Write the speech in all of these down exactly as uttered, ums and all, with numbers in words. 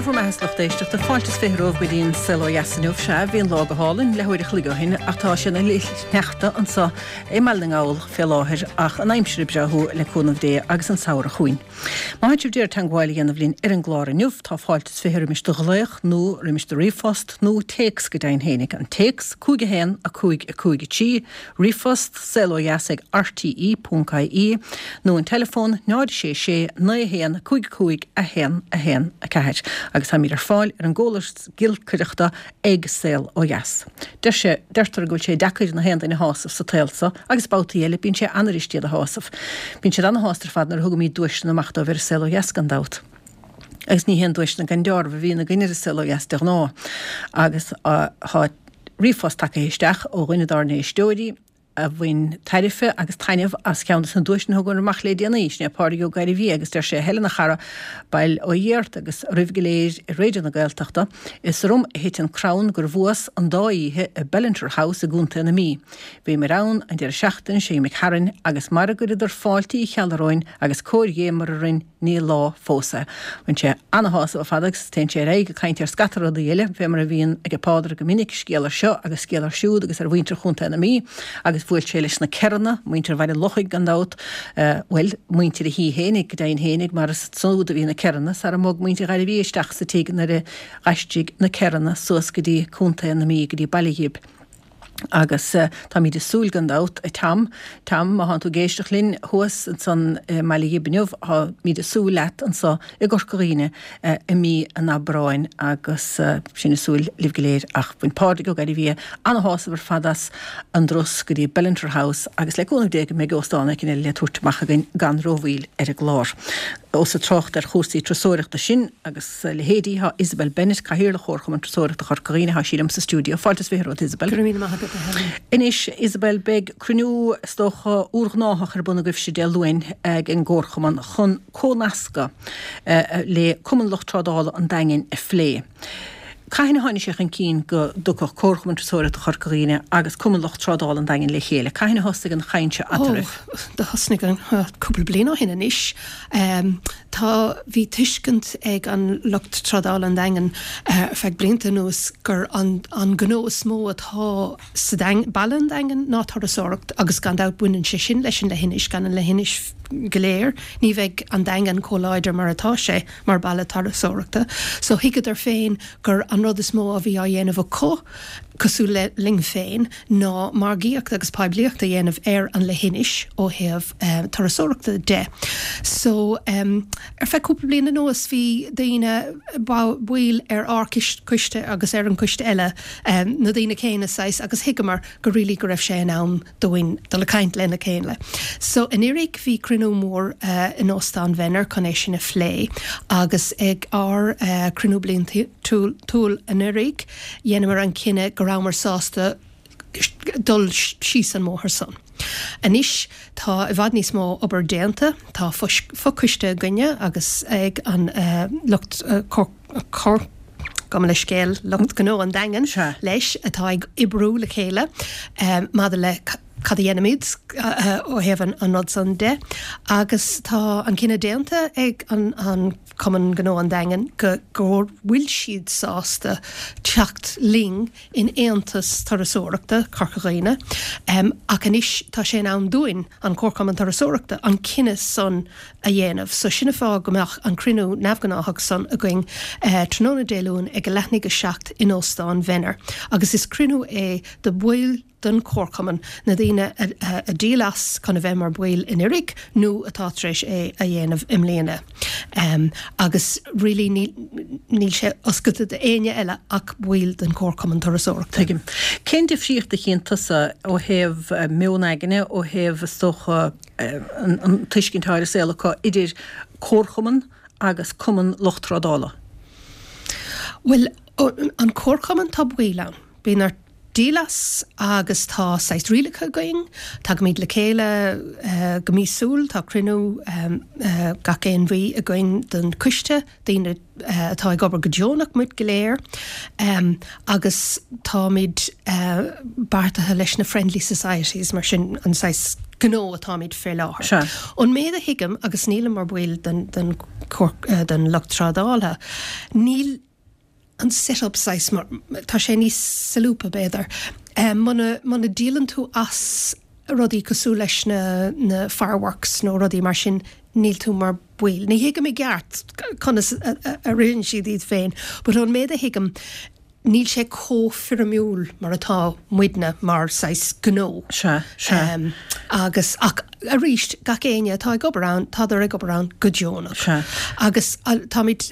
Dia bhur mbeatha, a lucht éisteachta, fáilte is fiche romhaibh go dtí an Saol Ó Dheas inniu. Sea, bhí an lá go hálainn leathuair a chloig ó shin ach tá sé ina fhlichshneachta anseo i mBaile na nGall fé láthair ach an aimsir ag breátú le cúnamh Dé agus an samhradh chugainn. Má tá sibh d'iarraidh teagmháil a dhéanamh linn ar an gclár inniu, tá fáilte is fiche roimis do ghlaoch nó roimis do ríomhphost nó téacs go deimhin fhéinig. An téacs, cúig a haon, a cúig, a cúig a trí, ríomhphost, saol ó dheas ag rte ponc ie, nó an teileafón, náid sé sé, naoi a haon, cúig a cúig, a haon, a haon, a ceathair. Agus táimid ar fáil ar an gcóras giolcaireachta ag Saol Ó Dheas. Deir sé, deirtear go bhfuil sé deacair na haon duine a shásamh sa tsaol so, agus babhtaí eile bíonn sé an-fhuirist iad a shásamh. Bíonn siad ana-shásta ar fad nuair a thugaimid duaiseanna amach dóibh ar an Saol Ó Dheas gan dabht. Agus ní haon duaiseanna gan deáramh a bhíonn againn ar an Saol Ó Dheas de ghnáth. Agus tá ríomhphost tagtha isteach ó dhuine dár n-éisteoirí, a bhain tairbhe agus taitneamh as ceann de na duaiseanna a thugamar amach le déanaí, sin é Pádraig Ó Gairbhí agus deir sé, a Helen a chara, bail ó Dhia ort agus oraibh go léir i Raidió na Gaeltachta, is orm a thit an crann gur bhuas an dá oíche i Bellinter House i gContae na Mí. Bhíomar ann an deireadh seachtaine seo imigh tharainn agus mar a gcuireadar fáilte Uí Cheallaigh romhainn agus cóir Dhé mar a rinn ní lá fós é. Bhain sé ana-shásamh ar fad agus téann sé ar aghaidh ag caint ar scata rudaí eile, fé mar a bhíonn aige Pádraig go minic, scéal ar seo agus scéal ar siúd agus ar mhuintir Chontae na Mí agus bhuail sé leis na Kerranna, muintir Bhaile an Lochaigh gan dabht, bhuel, muintir a thí fhéinig go deimhin fhéinig mar is ansúd a bhí na Kerranna sara mbog muintir Ghairbhí isteach sa tigh nuair a dh'aistrigh na Kerranna suas go dtí Contae na Mí, go dtí Baile Ghib. Agus táimid ag súil gan dabht, a Tom, Tom, má thánn tú ag éisteacht linn thuas ansan i mBaile Ghib inniu, táimid ag súil leat anso i gCorca Dhuibhne i mí an Aibreáin agus sinn ag súil libh go léir. Ach bhain Pádraig Ó Gairbhia ana-shásamh ar fad as an dturas go dtí Bellinter House agus le cúnamh Dé go mbeidh óstán éicint eile le tabhairt amach againn gan rómhoill ar an gclár. Ós ag trácht ar chúrsaí turasóireachta sinn agus a leithéidí, tá Isabel Bennett, Cathaoirleach Chomharchumann Turasóireachta Chorca Dhuibhne, tá sí liom sa stiúideo. Fáilte is fiche romhat, Isabel. Go raibh míle maith agat, a Helen. Anois, Isabel, beidh cruinniú, is dócha, úrghnáthach ar bun agaibhse Dé Luain ag an gComharchumann chun comhnascadh le Cumann Lucht Trádála an Daingin a phlé. Cathain a tháinig sé chun cinn go dtiocfadh Comharchumann Turasóireachta Chorca Dhuibhne agus Cumann Lucht Trádála an Daingin le chéile? Cathain a thosnaigh an chaint seo eatarthu? Ó, do thosnaigh an, cúpla bliain ó shin anois. Tá, bhí tuiscint ag an lucht trádála an Daingin ar feadh blianta anuas gur an, an gnó is mó atá sa Daing, baile an Daingin ná turasóireacht agus gan dabht baineann sé sin leis an leithinis, gan an leithinis go léir ní bheidh an Daingean chomh láidir mar atá sé mar baile turasóireachta. So thuigeadar féin gur an rud is mó a bhí á dhéanamh acu, cosúil le linn féin, ná margaíocht agus poiblíocht a dhéanamh ar an leithinis ó thaobh turasóireachta de. So ar feadh cúpla bliain anuas bhí daoine, baill ar ár coiste agus ar an coiste eile, na daoine céanna saghas, agus thuigeamar go really go raibh sé in am dúinn dul ag caint lena chéile. So anuraidh bhí cruinniú mór in Óstán Mhenner chun é sin a phlé agus ag ár cruinniú bliantúil anuraidh dheineamar an cinneadh go rabhamar sásta dul síos an mbóthar san. Anois tá i bhfad níos mó obair déanta, tá fochoiste againne agus ag an lucht gabh mo leithscéal, lucht gnó an Daingin leis atá ag oibriú le chéile maidir le cad a dhéanfaimid ó thaobh an rud san de agus tá an cinneadh déanta ag an Cumann Gnó an Daingin go bhfuil siad sásta teacht linn in Aontas Turasóireachta Chorca Dhuibhne ach anois tá sé in am dúinn, an Comharchumann Turasóireachta, an cinneadh san a dhéanamh. So sin an fáth go mbeadh an cruinniú neamhghnáthach san againn tráthnóna Dé Luain ag a leath i ndiaidh a seacht in Óstán Mhenner agus is cruinniú é do bhaill den Chomharchumann, na daoine a dhíol as chun a bheith mar bhaill anuraidh nó atá tar éis é a dhéanamh i mbliana. Agus really níl sé oscailte d'éinne eile ach baill den Chomharchumann Turasóireachta. Tuigim. Cén difríocht a chíonn tusa ó thaobh meon aigne, ó thaobh is dócha, an tuiscint atá ar an saol acu idir comharchumann agus cumann lucht trádála? Bhuel, an comharchumann, tá baill ann. Bíonn ort díol as agus tá saghas rialacha againn. Tagaimid le chéile go míosúil, tá cruinniú gach aon mhí againn den choiste, daoine atá ag obair go deonach, muid go léir, agus táimid beartaithe leis na Friendly Societies, mar sin an saghas gnó atáimid fé láthair. Ón méid a thuigim, agus nílim mar bhaill den don lucht trádála, níl an set-up saghas mar, tá sé níos solúbtha b'fhéidir. Muna, muna díolann tú as rudaí cosúil leis na, na fireworks nó rudaí mar sin, níl tú mar baill. Ní thuigim i gceart conas a, a, a ritheann siad iad féin, but ón méid a thuigim, níl sé chomh foirmiúil mar atá muidne mar saghas gnó. Sea, sea. Um, agus ach arís gach éinne atá ag obair ann, tádar ag obair ann go deonach. Sea. Agus táimid,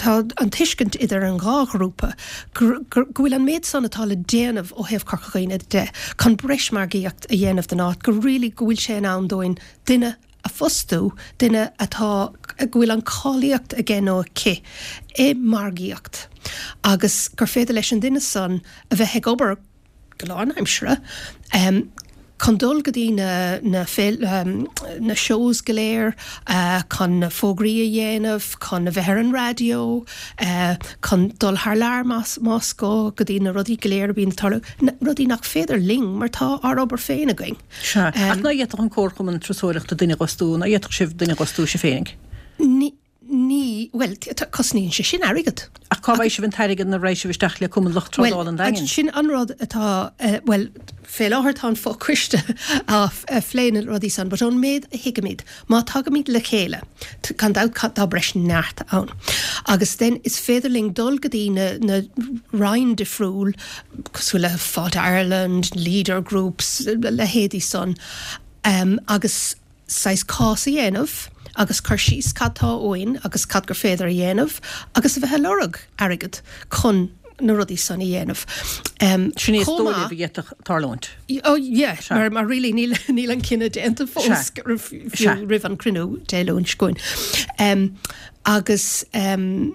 tá an tuiscint idir an dhá ghrúpa go bhfuil an méid san atá le déanamh ó thaobh Corca Dhuibhne de chun breis margaíocht a dhéanamh den áit, go really go bhfuil sé in am dúinn duine a phostú, duine atá, go bhfuil an cáilíocht aige nó aici i margaíocht agus gur féidir leis an duine san a bheith ag obair go lánaimseartha um, chun dul go dtí na, na, féil, um, na shows go léir, uh, chun na fógraí a dhéanamh, chun a bheith ar an raidió, uh, chun dul thar lear más, más gá go dtí na rudaí go léir a bhíonn ag tarlú, na rudaí nach féidir linn mar tá ár obair féin againn. Sea. Ach ná fhéadfadh an Comharchumann Turasóireachta duine a dh'fhostú, ná fhéadfadh sibh duine a dh'fhostú sibh féinig? Ní, ní, bhuel, cosnaíonn sé sin airgead. Ach cá bhfaighidh sibh an t-airgead nuair a raghaidh sibh isteach le Cumann Lucht Trádála an Daingin? Sin an rud atá, bhuel, fé láthair tá an fochoiste á phlé na rudaí san, but ón méid a thuigimid, má tagaimid le chéile, gan dabht tá breis neart ann. Agus then is féidir linn dul go dtí na, na roinn difriúil, cosúil le Fáilte Ireland, Leader Groups, leithéidí san, um, agus saghas cás a dhéanamh agus cur síos cad tá uainn agus cad gur féidir a dhéanamh agus a bheith ag lorg airgead chun na rudaí san a dhéanamh. Um, Sin é is dóigh libh a d'fhéadfadh tarlúint. Oh yeah, mar, mar really níl, níl an cinneadh déanta fós fiú roimh an cruinniú Dé Luain seo chugainn. Um, agus um,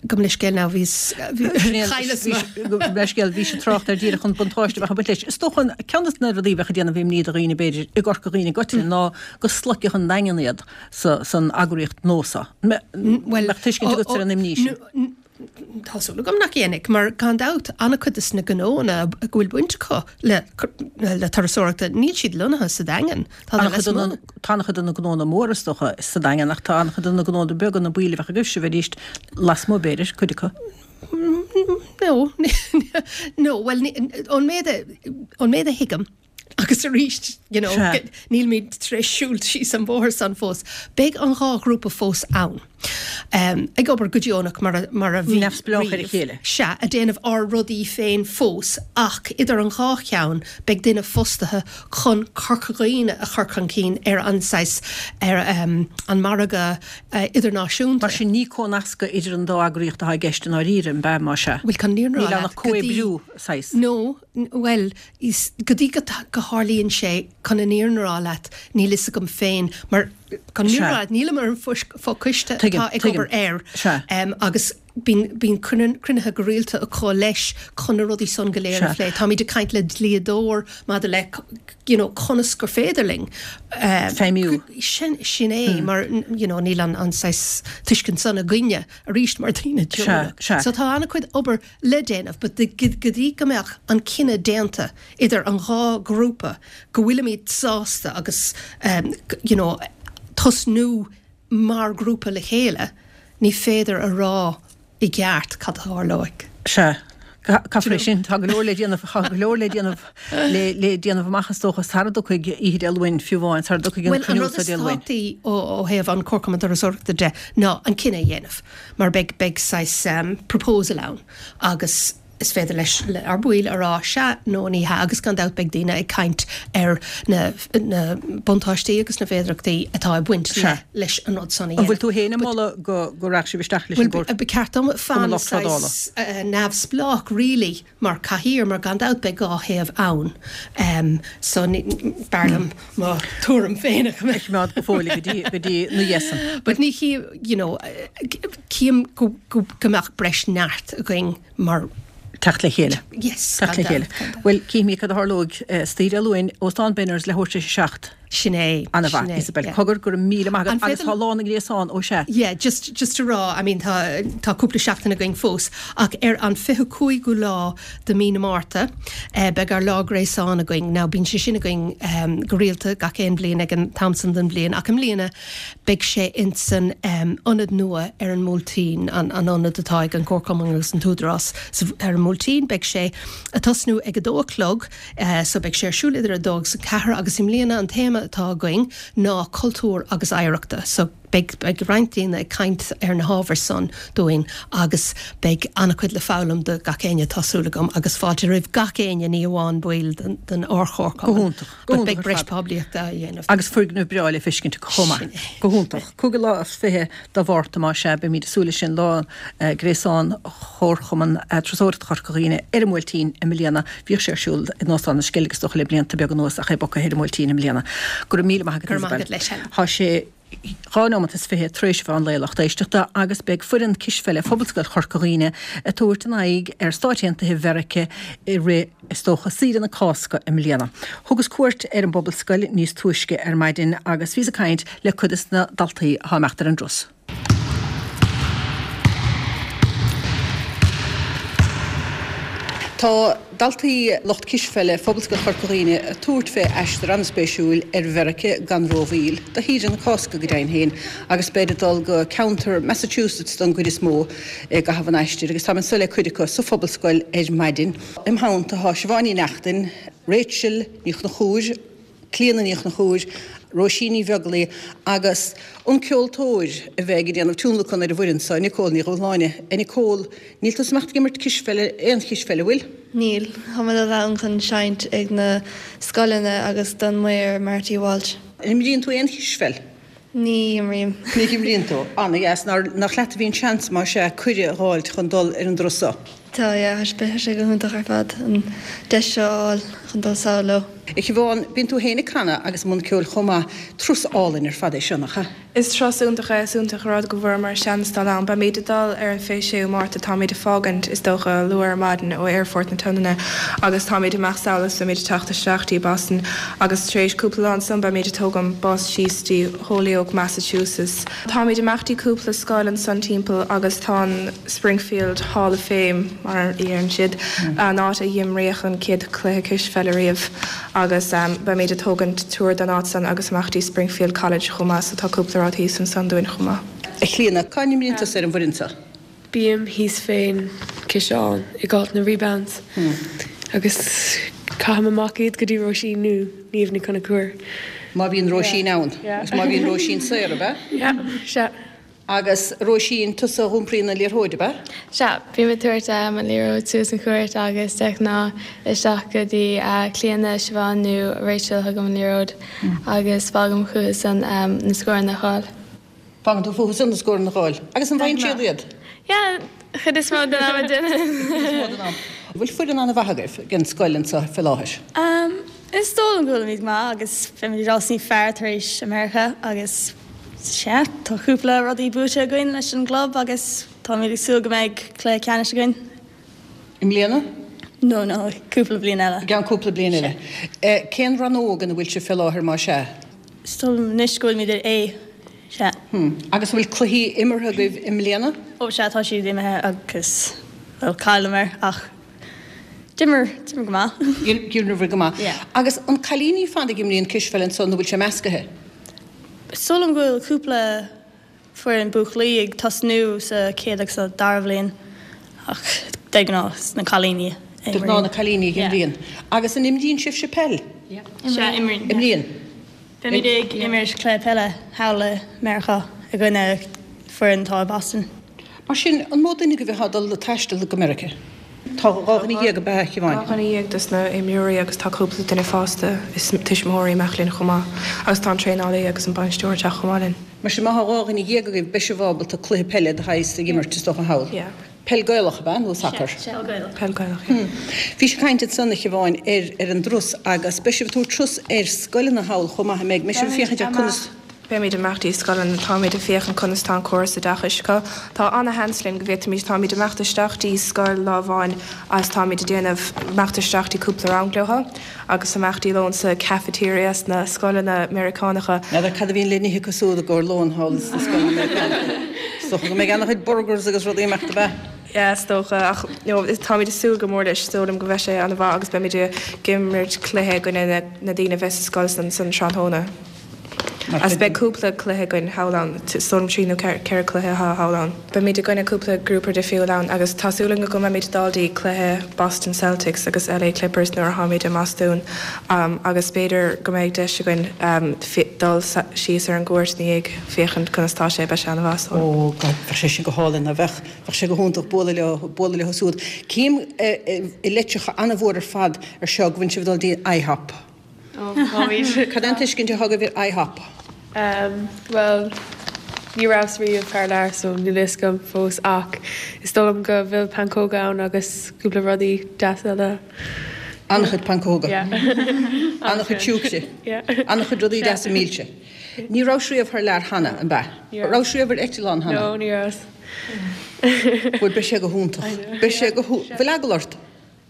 gabh mo leithscéal now bhí chailleas Leithscéal bhí sé trácht ar díreach an buntáiste bheadh ag baint leis. Is dócha ceann de na rudaí bheadh ag déanamh imní do dhaoine b'fhéidir i gCorca Dhuibhne i gcoitinne ná go sloiceadh an Daingean iad sa, san eagraíocht nua seo. Well, Mbeadh tuiscint agat ar an imní sin. Tá súil agam nach dhéanfaidh, mar gan dabht an-chuid de na gnóanna go bhfuil baint acu le, le turasóireachta, níl siad lonnaithe sa Daingean. Tá an-chuid tá an-chuid de na gnónna móra is dócha sa Daingean ach tá an-chuid de na gnónna beaga na baill a bheadh agaibh sibh arís lasmuigh b'fhéidir, cuid acu. No, no, well, ón méid a, ón méid a thuigim, agus arís, you know, Sea. nílimid tar éis siúl síos an bóthar san fós. Beidh an dhá ghrúpa fós ann. Um, ag obair go deonach mar a, mar a bhí Neamhspleách ar a riamh. chéile. Sea, ag déanamh ár rudaí féin fós, ach idir an dhá cheann beidh duine fostaithe chun Corca Dhuibhne a chur chun cinn ar an saghas ar um, an margadh uh, idirnáisiúnta. Mar sin ní cónascadh idir an dá eagraíocht atá i gceist i ndáiríre, an bea má sea. Bhuel, chun an fhírinne Níl a rá ann ach leat, go dtí- comhoibriú saghas. No, n- well, is, go dtí go, ta- go tharlaíonn sé chun an fhírinne a rá leat, níl fhios agam féin, mar chun an fhírinne a rá leat, nílim ar an fochoiste Tuigim, atá ag tuigim. obair air. Sea. Um, agus bíonn bíonn cruinn- cruinnithe go rialta acu leis chun na rudaí san go léir a Sea. phlé. Táimid ag caint le dlíodóir maidir le you know, conas gur féidir linn. Um, Feidhmiú. Sin, sin é, mar you know, níl an, an saghas tuiscint san againne arís mar daoine deonach. sea. So tá an-chuid obair le déanamh, but de- go go dtí go mbeadh an cinneadh déanta idir an dhá grúpa go bhfuilimid sásta agus um, g- you know, tosnú mar grúpa le chéile, ní féidir a rá i gceart cad a tharlóidh. Sea. Caithfear é sin tá go leor le déanamh tá go leor le déanamh le le déanamh amach is dócha sara dtiocfaidh oíche Dé Luain fiú amháin sara dtiocfaidh an Well, an cruinniú rud sa is Dé Luain. tábhachtaí ó ó thaobh an Comharchumann Turasóireachta de ná an cinneadh a dhéanamh, mar beidh beidh saghas um, proposal ann agus is féidir leis le ár baill a rá sea nó ní hea agus gan dabht beidh daoine ag caint ar na, na buntáistí agus na féidearthachtaí atá ag baint le, Sea. leis an rud san a An bhfuil dhéanamh. tú féin ag moladh go go rachadh sibh isteach leis an Well, gcomhar ba ceart dom fan lucht trádála. saghas uh, neamhspleách really mar cathaoir mar gan dabht beidh dhá thaobh ann. Um, so ní- b'fhearr liom mo tuairim féin a choimeád. Coimeád go fóill go dtí go dtí na dhesan. But ní chi, you know, eh, cím go, go, go mbeadh breis neart againn mar Teacht le chéile. yes, Teacht le gan chéile. dabht, gan dabht. Well cífimid cad a tharlóidh istoíche Dé Luain Óstán Benners leathuair tar éis a seacht. Sin é. An-mhaith, Isabel. Cogar, go raibh míle maith agat agus tá Lá na nGréasán, ó sea. Yeah, just just a rá, I mean tá tá cúpla seachtain againn fós, ach ar an fiche cúigiú lá de mí na Márta eh, beidh ár lá gréasán againn. Now bíonn sé sin againn um, go rialta gach aon bhliain ag an t-am san den bhliain, ach i mbliana beidh sé insan um, ionad nua ar an mBuailtín, an, an ionad atá ag an Comharchumann agus an tÚdarás ar an mBuailtín, beidh sé ag tosnú ag a dó a chlog, uh, so beidh sé ar siúl idir a dó agus a ceathair agus i mbliana an téama atá againn ná cultúr agus oidhreachta. So beidh, beidh roinnt daoine ag caint ar na hábhair san dúinn agus beidh an-chuid le foghlaim do gach éinne tá súil agam agus fáilte roimh gach éinne ní amháin baill den, den Chomharchumann. Go hiontach. Go But beidh breis poiblíochta á dhéanamh. Agus foirgneamh breá le feiscint chomh maith. Go hiontach. Cúigiú lá is fiche de Mhárta más ea, beimid ag súil leis sin lá eh, gréasán Chomharchumann eh, Turasóireachta Chorca Dhuibhne ar an mBuailtín i mbliana. Bhíodh sé ar siúl in Óstán na Sceilg is dócha le blianta beaga anuas ach é bogtha ar an mBuailtín i mbliana. Go raibh míle maith agat Go raibh maith Isabel. agat leis, Helen. Tá sé dhá nóiméad is fiche tar éis a mheán lae lucht éisteachta agus beidh foireann cispheile Phobalscoil Chorca Dhuibhne ag tabhairt a n-aghaidh ar Stáit Aontaithe Mheiriceá i rith is dócha saoire na Cásca i mbliana. Thugas cuairt ar an bPobalscoil níos túisce ar maidin agus bhíos ag caint le cuid de na daltaí atá ag imeacht ar an dturas. Tá daltaí lucht cispheile Phobalscoil Chorca Dhuibhne ag tabhairt fé aistear an-spéisiúil ar Mheiriceá gan rómhoill, do shaoire na Cásca go deimhin féin, agus beid ag dul go ceantar Massachusetts don gcuid is mó i gcaitheamh an aistir, agus táim anseo le cuid acu sa Phobalscoil ar maidin. Im theannta tá Siobhán Ní Neachtain, Rachel Ní Chonchúir, Clíona Ní Chonchúir, Róisín Ní Bheaglaoí agus an ceoltóir a bheidh ag déanamh tionlacan ar an bhfoireann seo, Nicole Ní Dhubhshláine. A Nicole, níl tú ag imeacht ag imirt cispheile, aon chispheile, an bhfuil? Níl, tá mé dul ann chun seinnt ag na scoileanna agus don maor Marty Walsh. An imríonn tú aon chispheil? Ní imrím. Ní imríonn tú. Ana-dheas, nach leat a bhí an seans más ea cuireadh a dh'fháilt chun dul ar an dturas seo? Tá, yeah, tá sé go hiontach ar fad an deis seo a fháil chun dul sall leo. A Shiobhán, bíonn tú féin ag canadh agus i mbun ceoil chomh maith. Turas álainn ar fad é seo, nach ea? Is turas iontach é, is iontach an rud go bhfuaireamar seans dul ann. Beimid ag dul ar an fiche séú Márta, táimid ag fágaint is dócha luath ar maidin ó Aerfort na Sionainne agus táimid amach sall agus beimid ag teacht isteach dtí Boston agus tar éis cúpla lá ansan beimid ag tógaint bus síos dtí Holyoke, Massachusetts. Táimid amach dtí cúpla scoil ansan timpeall agus tá an Springfield Hall of Fame mar a deireann siad, an áit a imríodh an chéad chluiche cispheile riamh agus beimid ag tógaint tour den áit san agus amach dtí Springfield College chomh maith so tá cúpla rud thíos ansan dúinn chomh maith. A Chlíona, cá n-imríonn tusa ar an bhfoireann seo? Bím thíos fén ciseán ag áit na rebounds agus caithim amach iad go dtí Róisín nó Niamh Ní Chonchúir. Má bhíonn Róisín ann agus má bhíonn Róisín saor, ab ea? Yeah, sea. Agus Róisín, tusa a iompraíonn an liathróid, ab ea? Sea, bím ag tabhairt an liathróid suas an chúirt agus de ghnáth isteach go dtí Clíona, Siobhán nó Rachel thugaim an liathróid agus fágaim fúthu san na scóranna a fháil. Fágann tú fúthu san na scóranna a fháil. Agus an bhfaigheann siad iad? Yeah, chuid is mó den am a déanann. Bhfuil foireann an-mhaith agaibh den scoil anseo fé láthair? Is dóigh liom go bhfuilimid go maith agus beimid ag dul níos fearr tar éis America agus sea, tá cúpla rudaí buaite againn leis an gclub agus táimid ag súil go mbeidh cluiche ceannais againn. I mbliana? No, no, cúpla bliain eile. I gceann cúpla bliain eile. Cén rannóg ina bhfuil sibh fé láthair más ea? Is dóigh liom anois go bhfuilimid ar A, sea. Agus an bhfuil cluichí imeartha agaibh i mbliana? Ó sea, tá siad imithe agus, bhuel, chailleamar ach d'imir, d'imir go maith. D'imir go maith. Yeah. Agus an cailíní ar fad a imríonn cispheil anso nó bhfuil sé meascaithe? Is dóigh liom go bhfuil cúpla foireann buachaillí ag tosnú sa chéad agus sa dara bhliain ach de ghnáth is na cailíní a De ghnáth na cailíní a imríonn. Agus an imríonn sibhse peil? Sea, imríonn. Imríonn. Beimid ag imirt cluiche peile thall i Meiriceá i gcoinne foireann atá i Boston. Mar sin, an mó duine agaibh atá ag dul ag taisteal go Meiriceá? Tá dhá dhuine dhéag, ab ea, a Shiobháin? Dhá dhuine dhéag dos na imreoirí agus tá cúpla duine fásta is tuismitheoirí ag imeacht linn chomh maith. Agus tá an traenálaí agus an bainisteoir ag teacht chomh maith linn. Mar sin, má tá dhá dhuine dhéag agaibh, beidh sibh ábalta cluiche peile de shaghas a imirt, is dócha, thall. Yeah. Peil Gaelach, ab ea, nó sacar? Sea, peil Gaelach. Peil Gaelach, yeah. Bhís ag caint ansan, a Shiobháin, ar ar an dturas agus beidh sibh ag tabhairt turas ar scoileanna thall chomh maith, an mbeidh? Beidh sibh ag féachaint ar conas. Beimid ag imeacht dtí scoileanna, táimid ag féachaint conas tá an córas oideachais acu. Tá ana-sheans linn go bhféadfaimid, táimid ag imeacht isteach dtí scoil lá amháin agus táimid ag déanamh imeacht isteach dtí cúpla rang leo agus imeacht dtí lón sa cafeteria sna scoileanna Meiriceánacha. N'fheadar cad a bhíonn le n-ithe acu siúd i gcomhair lóin thall sna scoileanna Meiriceánacha. Is dócha go mbeidh ana-chuid burgers agus rudaí amach, ab ea? Yeah, is dócha, ach no, táimid ag súil go mór leis, is dóigh liom go mbeidh sé ana-mhaith agus beimid ag imirt cluiche i gcoinne na, na daoine a bheas sa scoil san, san tráthnóna. Agus beidh cúpla cluiche againn thall ann, is dóigh liom trí nó ceithre cluiche atá thall ann. Beimid i gcoinne cúpla grúpa difriúil ann agus tá súil againn go mbeimid ag dul dtí cluiche Boston Celtics agus LA Clippers nuair atháimid i mBostún agus b'fhéidir go mbeidh deis againn dul síos ar an gcúirt ina dhiaidh féachaint conas tá sé, beidh sé an-mhaith. Ó God, bheadh sé sin go hálainn, ná bheadh? Bheadh sé go hiontach bualadh leo, bualadh leo siúd. Cím i litreacha an-mhór ar fad ar seo go bhfuil sibh ag dul dtí IHOP. Cad é an tuiscint atá agaibh ar IHOP? Bhuel, ní rabhas riamh thar lear so níl a fhios agam fós ach is dóigh liom go bhfuil pancóga ann agus cúpla rudaí deasa eile. An-chuid pancóga. An-chuid siúcra. An-chuid rudaí deasa milse. Ní rabhais riamh thar lear cheana, an b'ea? Rabhais riamh ar eitleán cheana? No, ní rabhas. Bhuel, beidh sé go hiontach. Beidh sé go hiontach. Bhfuil eagla ort?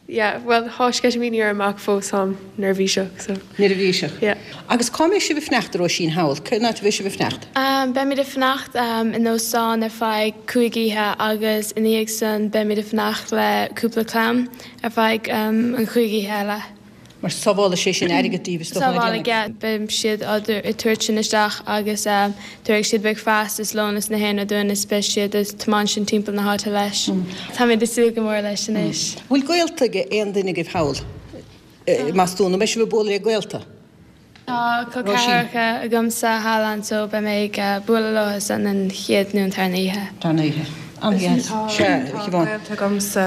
Yeah, bhuel, thá sceitimíní orm ach fós táim neirbhíseach, so. Neirbhíseach. Yeah. Agus cá mbeidh sibh ag fanacht, a Róisín, thall? Cén áit a bheidh sibh ag fanacht? Beimid ag fanacht in óstán ar feadh cúig oíche agus ina dhiaidh san beimid ag fanacht le cúpla clann ar feadh an chúig oíche eile. Mar sábhálfaidh sé sin airgead daoibh, is dócha, Sábhálfaidh, yeah. Beidh siad ag tabhairt sin isteach agus tabharfaidh siad bricfeasta is lón is na haon rud dúinn is beidh siad ag tiomáint sinn timpeall na háite leis. Táimid ag súil go mór leis anois. Bhfuil gaolta ag aon duine agaibh thall i mBostún? An mbeidh sibh ag bualadh le gaolta? Tá col ceathracha agamsa thall ann so beidh mé ag bualadh leo san an chéad nó an tarna oíche. Tarna oíche. An-dheas. Sea, a Tá Shiobhán. gaolta agamsa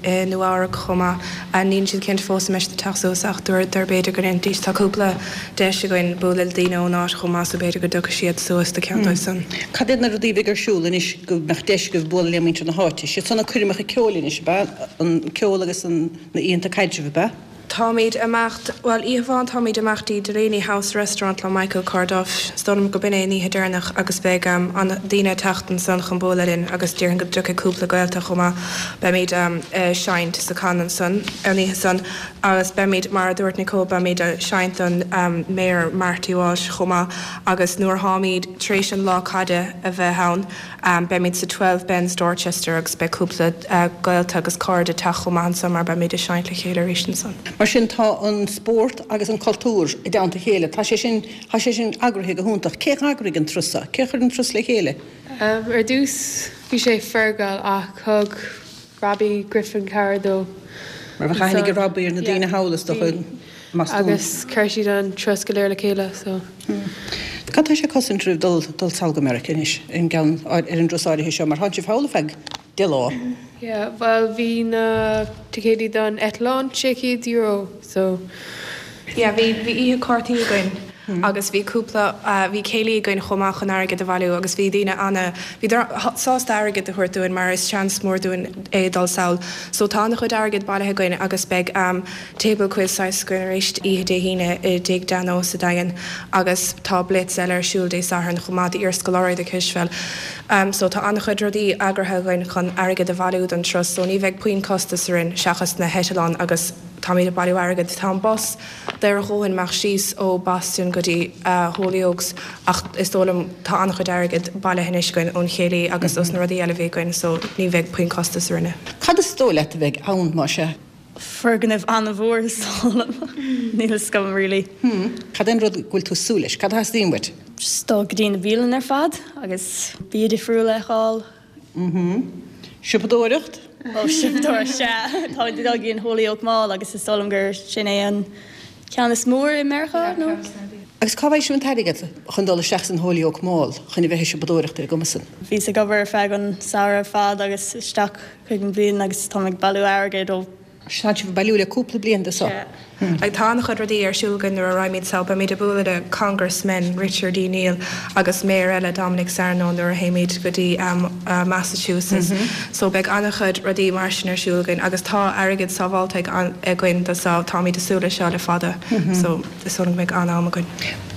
i Nua Eabhrac chomh maith. Níl siad cinnte fós an mbeidh siad ag teacht suas ach dúradar b'fhéidir go ndéanfaidís. Tá cúpla deis againn bualadh le daoine ón áit chomh maith so b'fhéidir go dtiocfaidh siad suas do ceann dóibh san. Cad iad na rudaí a bheidh ar siúl anois go mbeadh deis agaibh bualadh le muintir na háite? Siad san na coirmeacha ceoil anois, ab ea? An ceol agus an na oícheanta caidrimh, ab ea? Táimid ag imeacht, bhuel, oíche amháin táimid ag imeacht dtí Delaney House Restaurant le Michael Corduff. Is dóigh liom go b'in é an oíche deireanach agus beidh an daoine ag teacht ansan chun bualadh linn agus déarfainn go dtiocfaidh cúpla gaolta chomh maith. Beimid ag seinnt sa Con ansan an oíche san agus beimid, mar a dúirt Nicole, beimid ag seinnt don Mayor Marty Walsh chomh maith agus nuair tháimid tar éis an lá caide a bheith ann, Beimid sa Twelve Bens Dorchester agus beidh cúpla gaolta agus cairde ag teacht chomh maith ansan mar beimid ag seinnt le chéile arís ansan. Mar sin tá an spórt agus an cultúr i dteannta a chéile. Tá sé sin, tá sé sin eagraithe go hiontach. Cé d'eagraigh an turas seo? Cé chuir an turas le chéile? Ar dtús bhí sé Fergal ach thug Robbie Griffin cabhair dó. Mar bheadh aithne ag Robbie ar na daoine thall is dócha. Agus chuir siad an turas go léir le chéile so. Cad tá sé ag cosaint oraibh dul dul sall go Meiriceá anois ar an gceann ar an dturas áirithe seo mar tánn sibh thall ar feadh deich lá? Yeah, bhuel bhí na ticéidí don eitleán sé chéad euro so. Yeah, bhí bhí oíche cártaí againn agus bhí cúpla bhí céilí againn chomh maith chun airgead a bhailiú agus bhí daoine ana bhíodar sásta airgead a thabhairt dúinn mar is seans mór dúinn é dul sall. So tá ana chuid airgead bailithe againn agus beidh table quiz saghas againn arís oíche Dé hAoine i dTigh Dano sa Daingean agus tá blitz eile ar siúl Dé Sathairn chomh maith d'iarscoláirí do Cispheil. So tá an-chuid rudaí eagraithe againn chun airgead a bhailiú don turas so ní bheidh puinn costas orainn seachas na heitleáin agus táimid ag bailiú airgead. Tá an bus daor a dhóthain imeacht síos ó Boston go dtí Holyoke ach is dóigh liom tá an-chuid airgead bailithe anois againn ón chéilí agus os na rudaí eile a bhí againn so ní bheidh puinn costas orainne. Cad is dóigh leat a bheidh ann, más ea? Foirgneamh an-mhór is dóigh liom. Níl a fhios agam really. Hmm. Cad é an rud go bhfuil tú ag súil leis? Cad a theastaíonn uait? Just dul go dtí na bialanna ar fad agus bia difriúil a fheiceáil. Mhm. Siopadóireacht? Ó, siopadóireacht, sea. Táimid ag dul go dtí an Holyoke Mall agus is dóigh liom gur sin é an ceann is mó i Meiriceá, nó? Agus cá bhfaighidh sibh an t-airgead chun dul isteach san Holyoke Mall chun a bheith ag siopadóireacht ar an gcuma san? Bhíos ag obair ar feadh an samhradh ar fad agus isteach chuig an bhliain agus táim ag bailiú airgid ó. Tá sibh ag bailiú le cúpla bliain de seo. Sea. Like tá an-chuid rudaí ar siúl againn nuair a raghaimid sall, beimid ag bualadh le Congressman Richard E. Neal agus Mayor eile Dominic Sarno nuair a théimid go dtí Massachusetts. So beidh an-chuid rudaí mar sin ar siúl againn agus tá airgead sábháilte againn do so táimid ag súil leis seo le fada. So is dóigh liom go mbeidh an-am againn.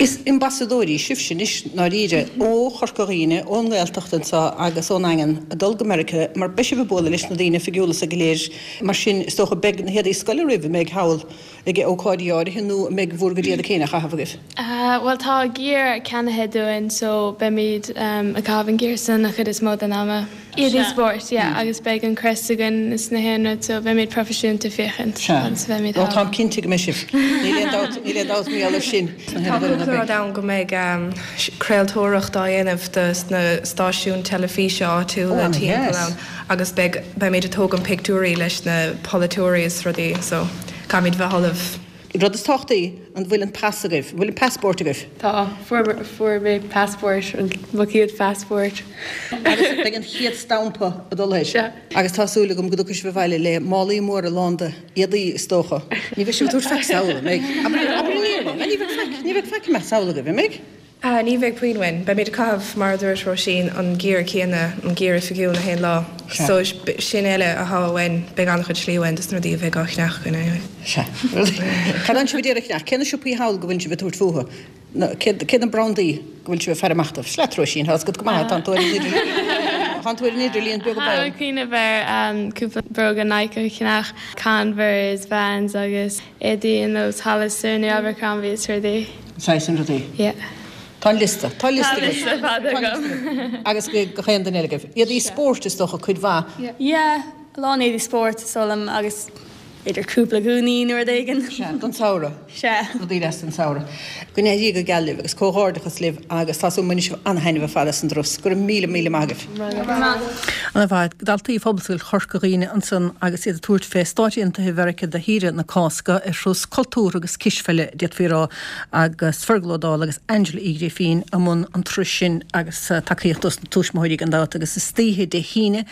Is ambasadóirí sibhse anois ndáiríre ó Chorca Dhuibhne, ón nGaeltacht anseo agus ón nDaingean ag dul go Meiriceá mar beidh sibh ag bualadh leis na daoine oifigiúla sa go léir mar sin is dócha beidh na héadaí scoile oraibh a mbeidh thall ag ócáidí áirithe nó an mbeidh bhur gcuid éadaí féin á chaitheamh agaibh? Bhuel tá gear ceannaithe dúinn so beimid ag caitheamh an gear san an chuid is mó den ama. Éadaí spóirt, yeah, agus beidh an crest againn is na haon rud so beimid proifisiúnta féachaint agus beimid thall. Ó táim cinnte go mbeidh sibh. Níl aon dabht, níl aon dabht mar gheall air sin. Tá cúpla rud ann go mbeidh craoltóireacht á dhéanamh do na stáisiúin teilifíse áitiúla timpeall ann agus beidh, beimid ag tógaint pictiúirí leis na polaiteoirí is rudaí so caithfimid bheith ullamh. Rud is tábhachtaí, an bhfuil an pas agaibh? An bhfuil an passport agaibh? Tá, fuair, fuair mé passport, mo chéad phassport. Agus beidh an chéad stampa ag dul air. Sea. Agus tá súil agam go dtiocfaidh sibh abhaile le málaí móra lán de éadaí, is dócha. Ní bheidh sibh ag tabhairt faic sall, an mbeidh? Abair, abair an fhírinne, ní bheidh faic, ní bheidh faic imeacht sall agaibh, an mbeidh? Ní bheidh puinn uainn. Beimid ag caitheamh, mar a dúirt Róisín, an gear céanna, an gear oifigiúil na haon lá. So, sin eile atá uainn, beidh an-chuid slí uainn dos na rudaí a bheidh á cheannach againn anyway. Sea. Cad atánn sibh ag iarraidh a cheannach? Cé na siopaí thall go bhfuil sibh ag tabhairt fúthu? Cé, cé na brandaí go bhfuil sibh ag faire amach dóibh? Sea leat, Róisín, tá a fhios agat go maith, tá tú ar an idirlíon, tá tú ar an idirlíon beag Táim ag cuimhneamh ar cúpla bróga Nike a cheannach, Converse, Vans agus éadaí ar nós Hollister nó Abercrombie is rudaí. Saghas sin rudaí. Yeah. Tá an liosta. Tá liosta Tá liosta fada agam. Agus gach aon duine eile agaibh. Éadaí spóirt is dócha cuid mhaith. Yeah, a lán éadaí spóirt is dóigh liom agus b'fhéidir cúpla gúnaí nó rud éigin. Sea, don samhradh. Sea. Rudaí deasa don samhradh. Go n-éirí go geal libh agus comhghairdeachas libh agus tá súil agam go mbainfidh sibh an-thaitneamh ar fad as an dturas. Go raibh míle míle maith agaibh. Go raibh maith agat. An-mhaith. Daltaí Phobalscoil Chorca Dhuibhne ansan agus iad ag tabhairt fé Stáit Aontaithe Mheiriceá do shaoire na Cásca ar thuras cultúrtha agus cispheile, d'fhéadfaí a rá, agus Fergal Ó Dálaigh agus Angela Uí Ghrifín i mbun an turais sin agus tacaíocht dos na tuismitheoirí gan dabht agus istoíche Dé hAoine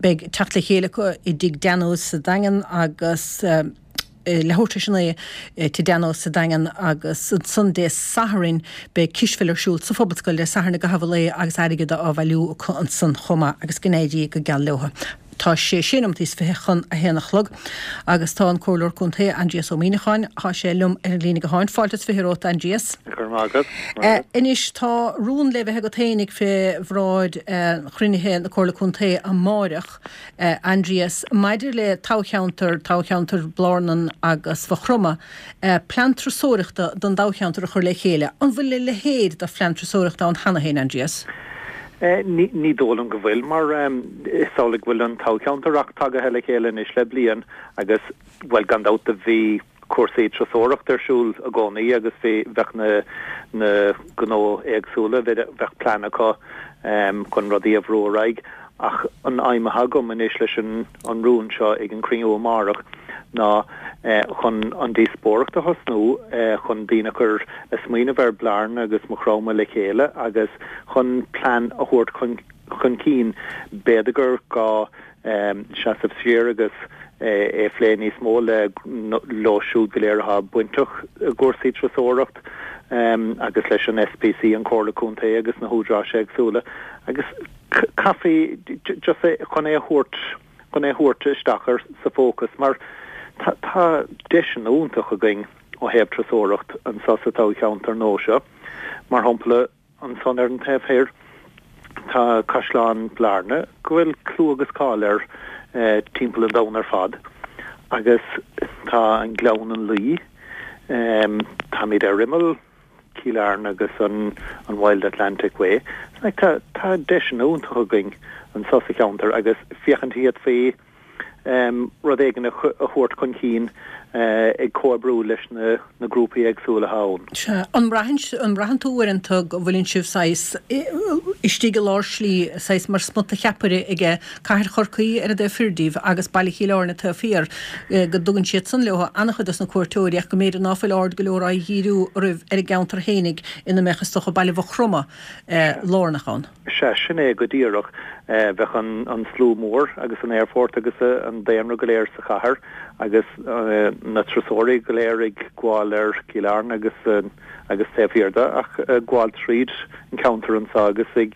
beidh teacht le chéile acu i dTigh Danos sa Daingean agus leathuair tar éis a naoi i Tigh Danos sa Daingean agus ansan Dé Sathairn beidh cispheil ar siúl sa Phobalscoil Dé Sathairn i gcaitheamh an lae agus airgead á bhailiú acu ansan chomh maith agus go n-éirí go geal leo. Tá sé sé nóiméad is fiche chun a haon a chlog agus tá an Comhairleoir Contae Aindrias Ó Muimhneacháin, tá sé liom ar an líne gutháin. Fáilte is fiche romhat, Aindrias. Go raibh maith agat. Maith agat. Anois tá rún le bheith agat féinig fé bhráid chruinnithe na Comhairle Contae amáireach. Aindrias, maidir le toghcheantar, toghcheantar Blarnan agus Mhaigh Chromtha, plean turasóireachta don dtoghcheantar a chur le chéile. An bhfuil a leithéid de phlean turasóireachta ann cheana féin, Aindrias? Ní dóigh liom go bhfuil, mar is amhlaidh go bhfuil an toghcheantar ach tagaithe le chéile anois le bliain agus, bhuel, gan dabht do bhí cúrsaí turasóireachta ar siúl i gcónaí agus bhí, bheadh na, na gnó éagsúla, bheadh plean acu chun rudaí a bhrú ar aghaidh. Ach an aidhm atá agam anois leis an an rún seo ag an cruinniú amárach ná chun an díospóireacht a thosnú, chun daoine a chur a smaoineamh ar Bhlarna agus Maigh Chromtha le chéile agus chun plean a thabhairt chun chun cinn. B'fhéidir gur gá seasamh siar agus é a phlé níos mó le leo siúd go léir atá bainteach i gcúrsaí turasóireacht agus leis an SPC, an Comhairle Contae agus na húdaráis éagsúla agus caithfí just é chun é a thabhairt chun é a thabhairt isteach ar sa fócas mar tá tá deiseanna iontach againn ó thaobh turasóireacht anseo sa toghcheantar nua seo. Mar shampla ansan ar an taobh thoir tá Caisleán Blarna go bhfuil clú agus cáil air timpeall an domhain ar fad agus tá an Gleann an Laoi, táimid ar imeall Chill Airne agus an an Wild Atlantic Way. Like tá tá deiseanna iontach againn anseo sa cheantar agus féachaint an bhféadfaí rud éigin a thabhairt chun cinn ag comhoibriú leis na na grúpaí éagsúla atá ann. Sea. An mbraitheann an mbraitheann tú uaireanta go bhfuileann sibh saghas istigh i lár slí, saghas mar smut de cheapaire aige Cathair Chorcaí ar an dtaobh thoir díbh agus Baile Chill Airne taobh thiar, go dtugann siad san leo an-chuid dos na cuairteoirí ach go mb'fhéidir ná fuil aird go leor á dhíriú oraibh ar an gceantar fhéinig ina mbeadh is dócha Baile Mhaigh Chromtha lárnach ann. Sea, sin é go díreach. Bheadh an slua mór agus an aerfort agus an daonra go léir sa chathair agus na turasóirí go léir ag gabháil ar Cill Airne agus agus taobh thiar de ach ag gabháil tríd an ceantar anseo agus ag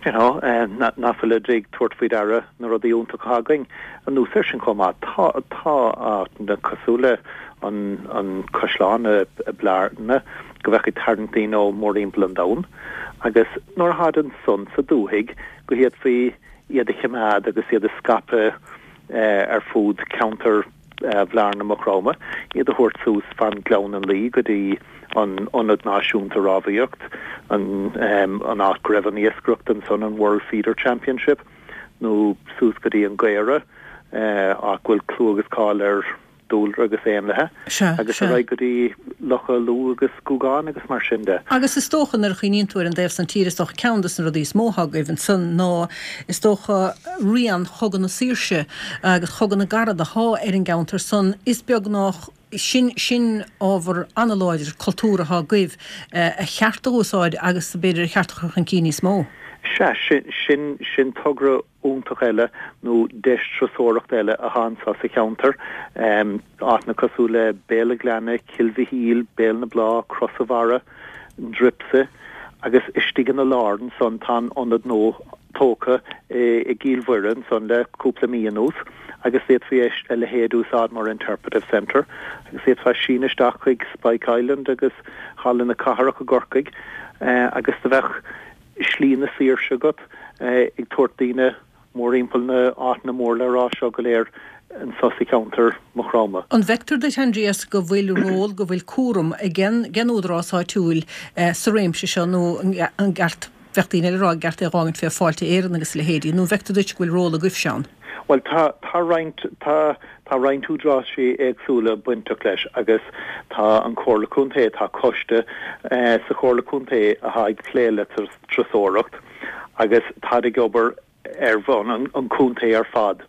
you know nach bhfuilid ag tabhairt faoi deara na rudaí iontacha atá againn. Anuas air sin chomh maith tá tá áiteanna cosúil le an an caisleán i mBearna go bheadh ag tarraingt daoine ó mórthimpeall an domhain agus nuair a tháid ansan sa dúthaigh go bhféadfaí iad a choimeád agus iad a scaipeadh ar fud ceantar Bhlarna Maigh Chromtha, iad a thabhairt suas fan Ghleann an Laoi go dtí an Ionad Náisiúnta Rámhaíocht, an an áit go raibh an iascaireacht ansan, an World Feeder Championship, nó suas go dtí an Gaora, áit go bhfuil clú agus cáil ar dúlra agus éanlaithe, agus ar aghaidh go dtí Locha Lú agus Gougane agus mar sin de. Agus is dócha nuair a chuimhníonn tú ar an dtaobh san tíre, is dócha ceann de na rudaí is mó atá agaibh ansan ná is dócha rian Chogadh na Saoirse agus Chogadh na gCarad athá ar an gceantar san. Is beag nách sin, sin ábhar an-láidir cultúr athá agaibh a cheart a úsáid agus b'fhéidir a cheart a chur chun cinn níos mó. Sea, sin, sin, sin togra iontach eile nó deis turasóireachta eile athá anso sa cheantar. Áiteanna cosúil le Béal a' Ghleanna, Cill Mhichíl, Béal na Blá, Cros a' Bharra, an Druipse agus istigh ina lár ansan tá an ionad nua tógtha i gCill Mhuire ansan le cúpla mí anuas agus d'fhéadfaí a leithéid a úsáid mar interpretive centre agus d'fhéadfá síneadh isteach chuig Spike Island agus Halla na Cathrach i gCorcaigh agus do bheadh Slí na Saoirse agat ag tabhairt daoine mórthimpeall na áiteanna mór le rá seo go léir anso sa cheantar Maigh Chromtha. An bhfeictear duit, Aindrias, go bhfuil ról, go bhfuil cúram ag an údarás áitiúil sa réimse seo nó an gceart, bheadh daoine eile ag rá, an gceart é a dh'fhágaint fé Fáilte Éireann agus a leithéidí, nó an bhfeictear duit go bhfuil ról agaibhse ann? Bhuel, tá, tá roinnt, tá, tá roinnt údaráisí éagsúla bainteach leis agus tá an Chomhairle Contae, tá coiste sa Chomhairle Contae athá ag plé le turasóireacht agus táid ag obair ar bhonn an, an chontae ar fad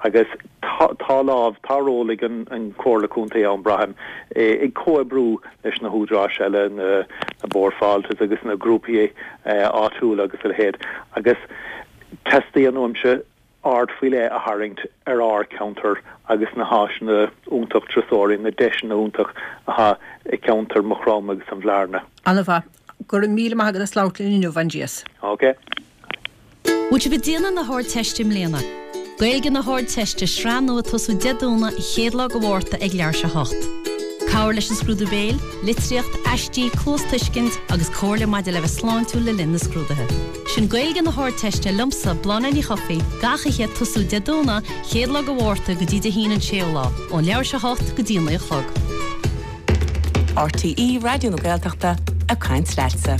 agus tá, tá lámh, tá ról ag an, an Chomhairle Contae ann, braithim, ag comhoibriú leis na húdaráis eile, na, na Bord Fáilte agus na grúpaí áitiúla agus a leithéid agus teastaíonn uaimse aird faoi leith a tharraingt ar ár gceantar agus na háiseanna iontach turasóirí, na deiseanna iontach athá i gceantar Maigh Chromtha agus an Bhlarna. Ana-mhaith. Go raibh míle maith agat as labhairt linn inniu, Aindrias. Ok. Bhfuil sibh ag déanamh na hArdteiste i mbliana? Gaeilge na hArdteiste, sraith nua ag tosú Dé Domhnaigh an chéad lá de Mhárta ag leathuair tar éis a hocht. Cabhair leis an scrúdú béil, litríocht, aistí, cluastuiscint agus comhairle maidir le bheith sláintiúil le linn na scrúduithe. Sin Gaeilge na hArdteiste liomsa, Bláthnaid Ní Chofaigh, gach oíche ag tosú Dé Domhnaigh, chéad lá de Mhárta go dtí Dé hAoine an séú lá, ón leathuair tar éis a hocht go dtí a naoi a chlog. RTÉ Raidió na Gaeltachta ag caint leatsa.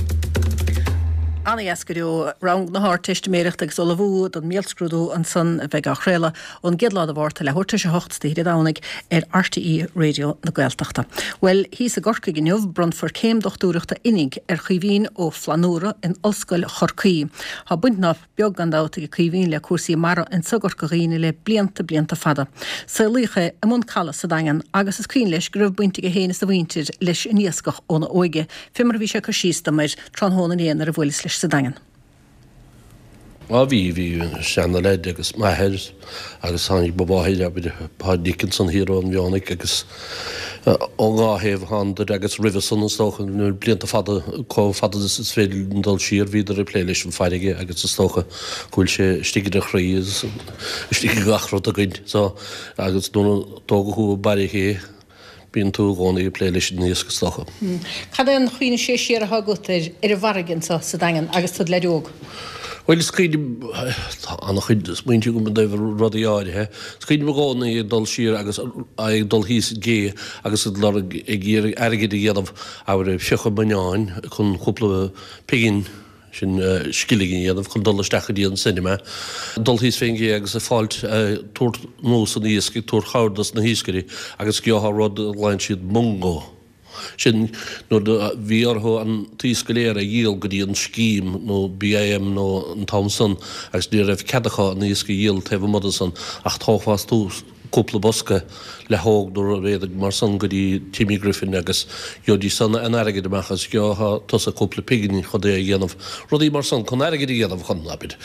Ana-dheas go deo. Rang na hArdteistiméireachta agus ullmhú don mbéalscrúdú ansan a bheidh á chraoladh ón gcéad lá de Mhárta leathuair tar éis a hocht Dé Domhnaigh ar RTÉ Raidió na Gaeltachta. Bhuel, thíos i gCorcaigh inniu, bronnfar céim dochtúireachta oinigh ar Chaoimhín Ó Flannúra in Ollscoil Chorcaí. Tá baint nach beag gan dabht ag Caoimhín le cúrsaí mara anso i gCorca Dhuibhne le blianta, blianta fada. Saolaíodh é i mbun Caladh sa Daingean agus is cuimhin leis go raibh baint aige féin is a mhuintir leis an iascach óna óige, fé mar a bhí sé ag cur síos dom air tráthnóna inné nuair a bhuaileas leis sa Daingean. Á bhí, bhí seana-leaid agus m'athair agus tháinig mo mháthair, abair, Páid Dickinson thiar ón Mhionnaigh agus ón dhá thaobh thánadar agus roimhe san is dócha, na blianta fada, chomh fada is is féidir linn dul siar, bhíodar ag plé leis an bhfarraige agus is dócha go bhfuil sé istigh ina chroí agus istigh i gach rud againn. So, agus nuair a tógadh thú i mBaile Ché, bíonn tú i gcónaí ag plé leis an iasc is dócha. Cad é an chuimhne siar atá agat ar ar an bhfarraige anso sa Daingean agus tú i do leaid óg? Bhuel, is cuimhin, tá an-chuid smaointe agam i dtaobh rudaí áirithe. Is cuimhin liom i gcónaí ag dul siar agus ag dul thíos an gcé agus ag lorg, ag iarraidh airgid a dhéanamh, abair, ag fiuchadh buinneáin chun cúpla pingin, sin scilling a dhéanamh chun dul isteach go dtí an cinema. Dul thíos fén gcé agus ag fáilt, ag tabhairt anuas an iasc, ag tabhairt cabhair dos na hiascairí agus gheofá rud a ghlaonn siad mungo. Sin nuair a bhí orthu an t-iasc go léir a dhíol go dtí an scéim nó BIM nó an t-am san agus ní raibh cead acu an iasc a dhíol taobh amuigh de san ach thógfá cúpla bosca leathóg nó rud éigin mar san go dtí Timmy Griffin agus gheobhaidís san an airgead amach agus gheobhadh tusa cúpla pingin chun é a dhéanamh, rudaí mar san chun airgead a dhéanamh chun, abair,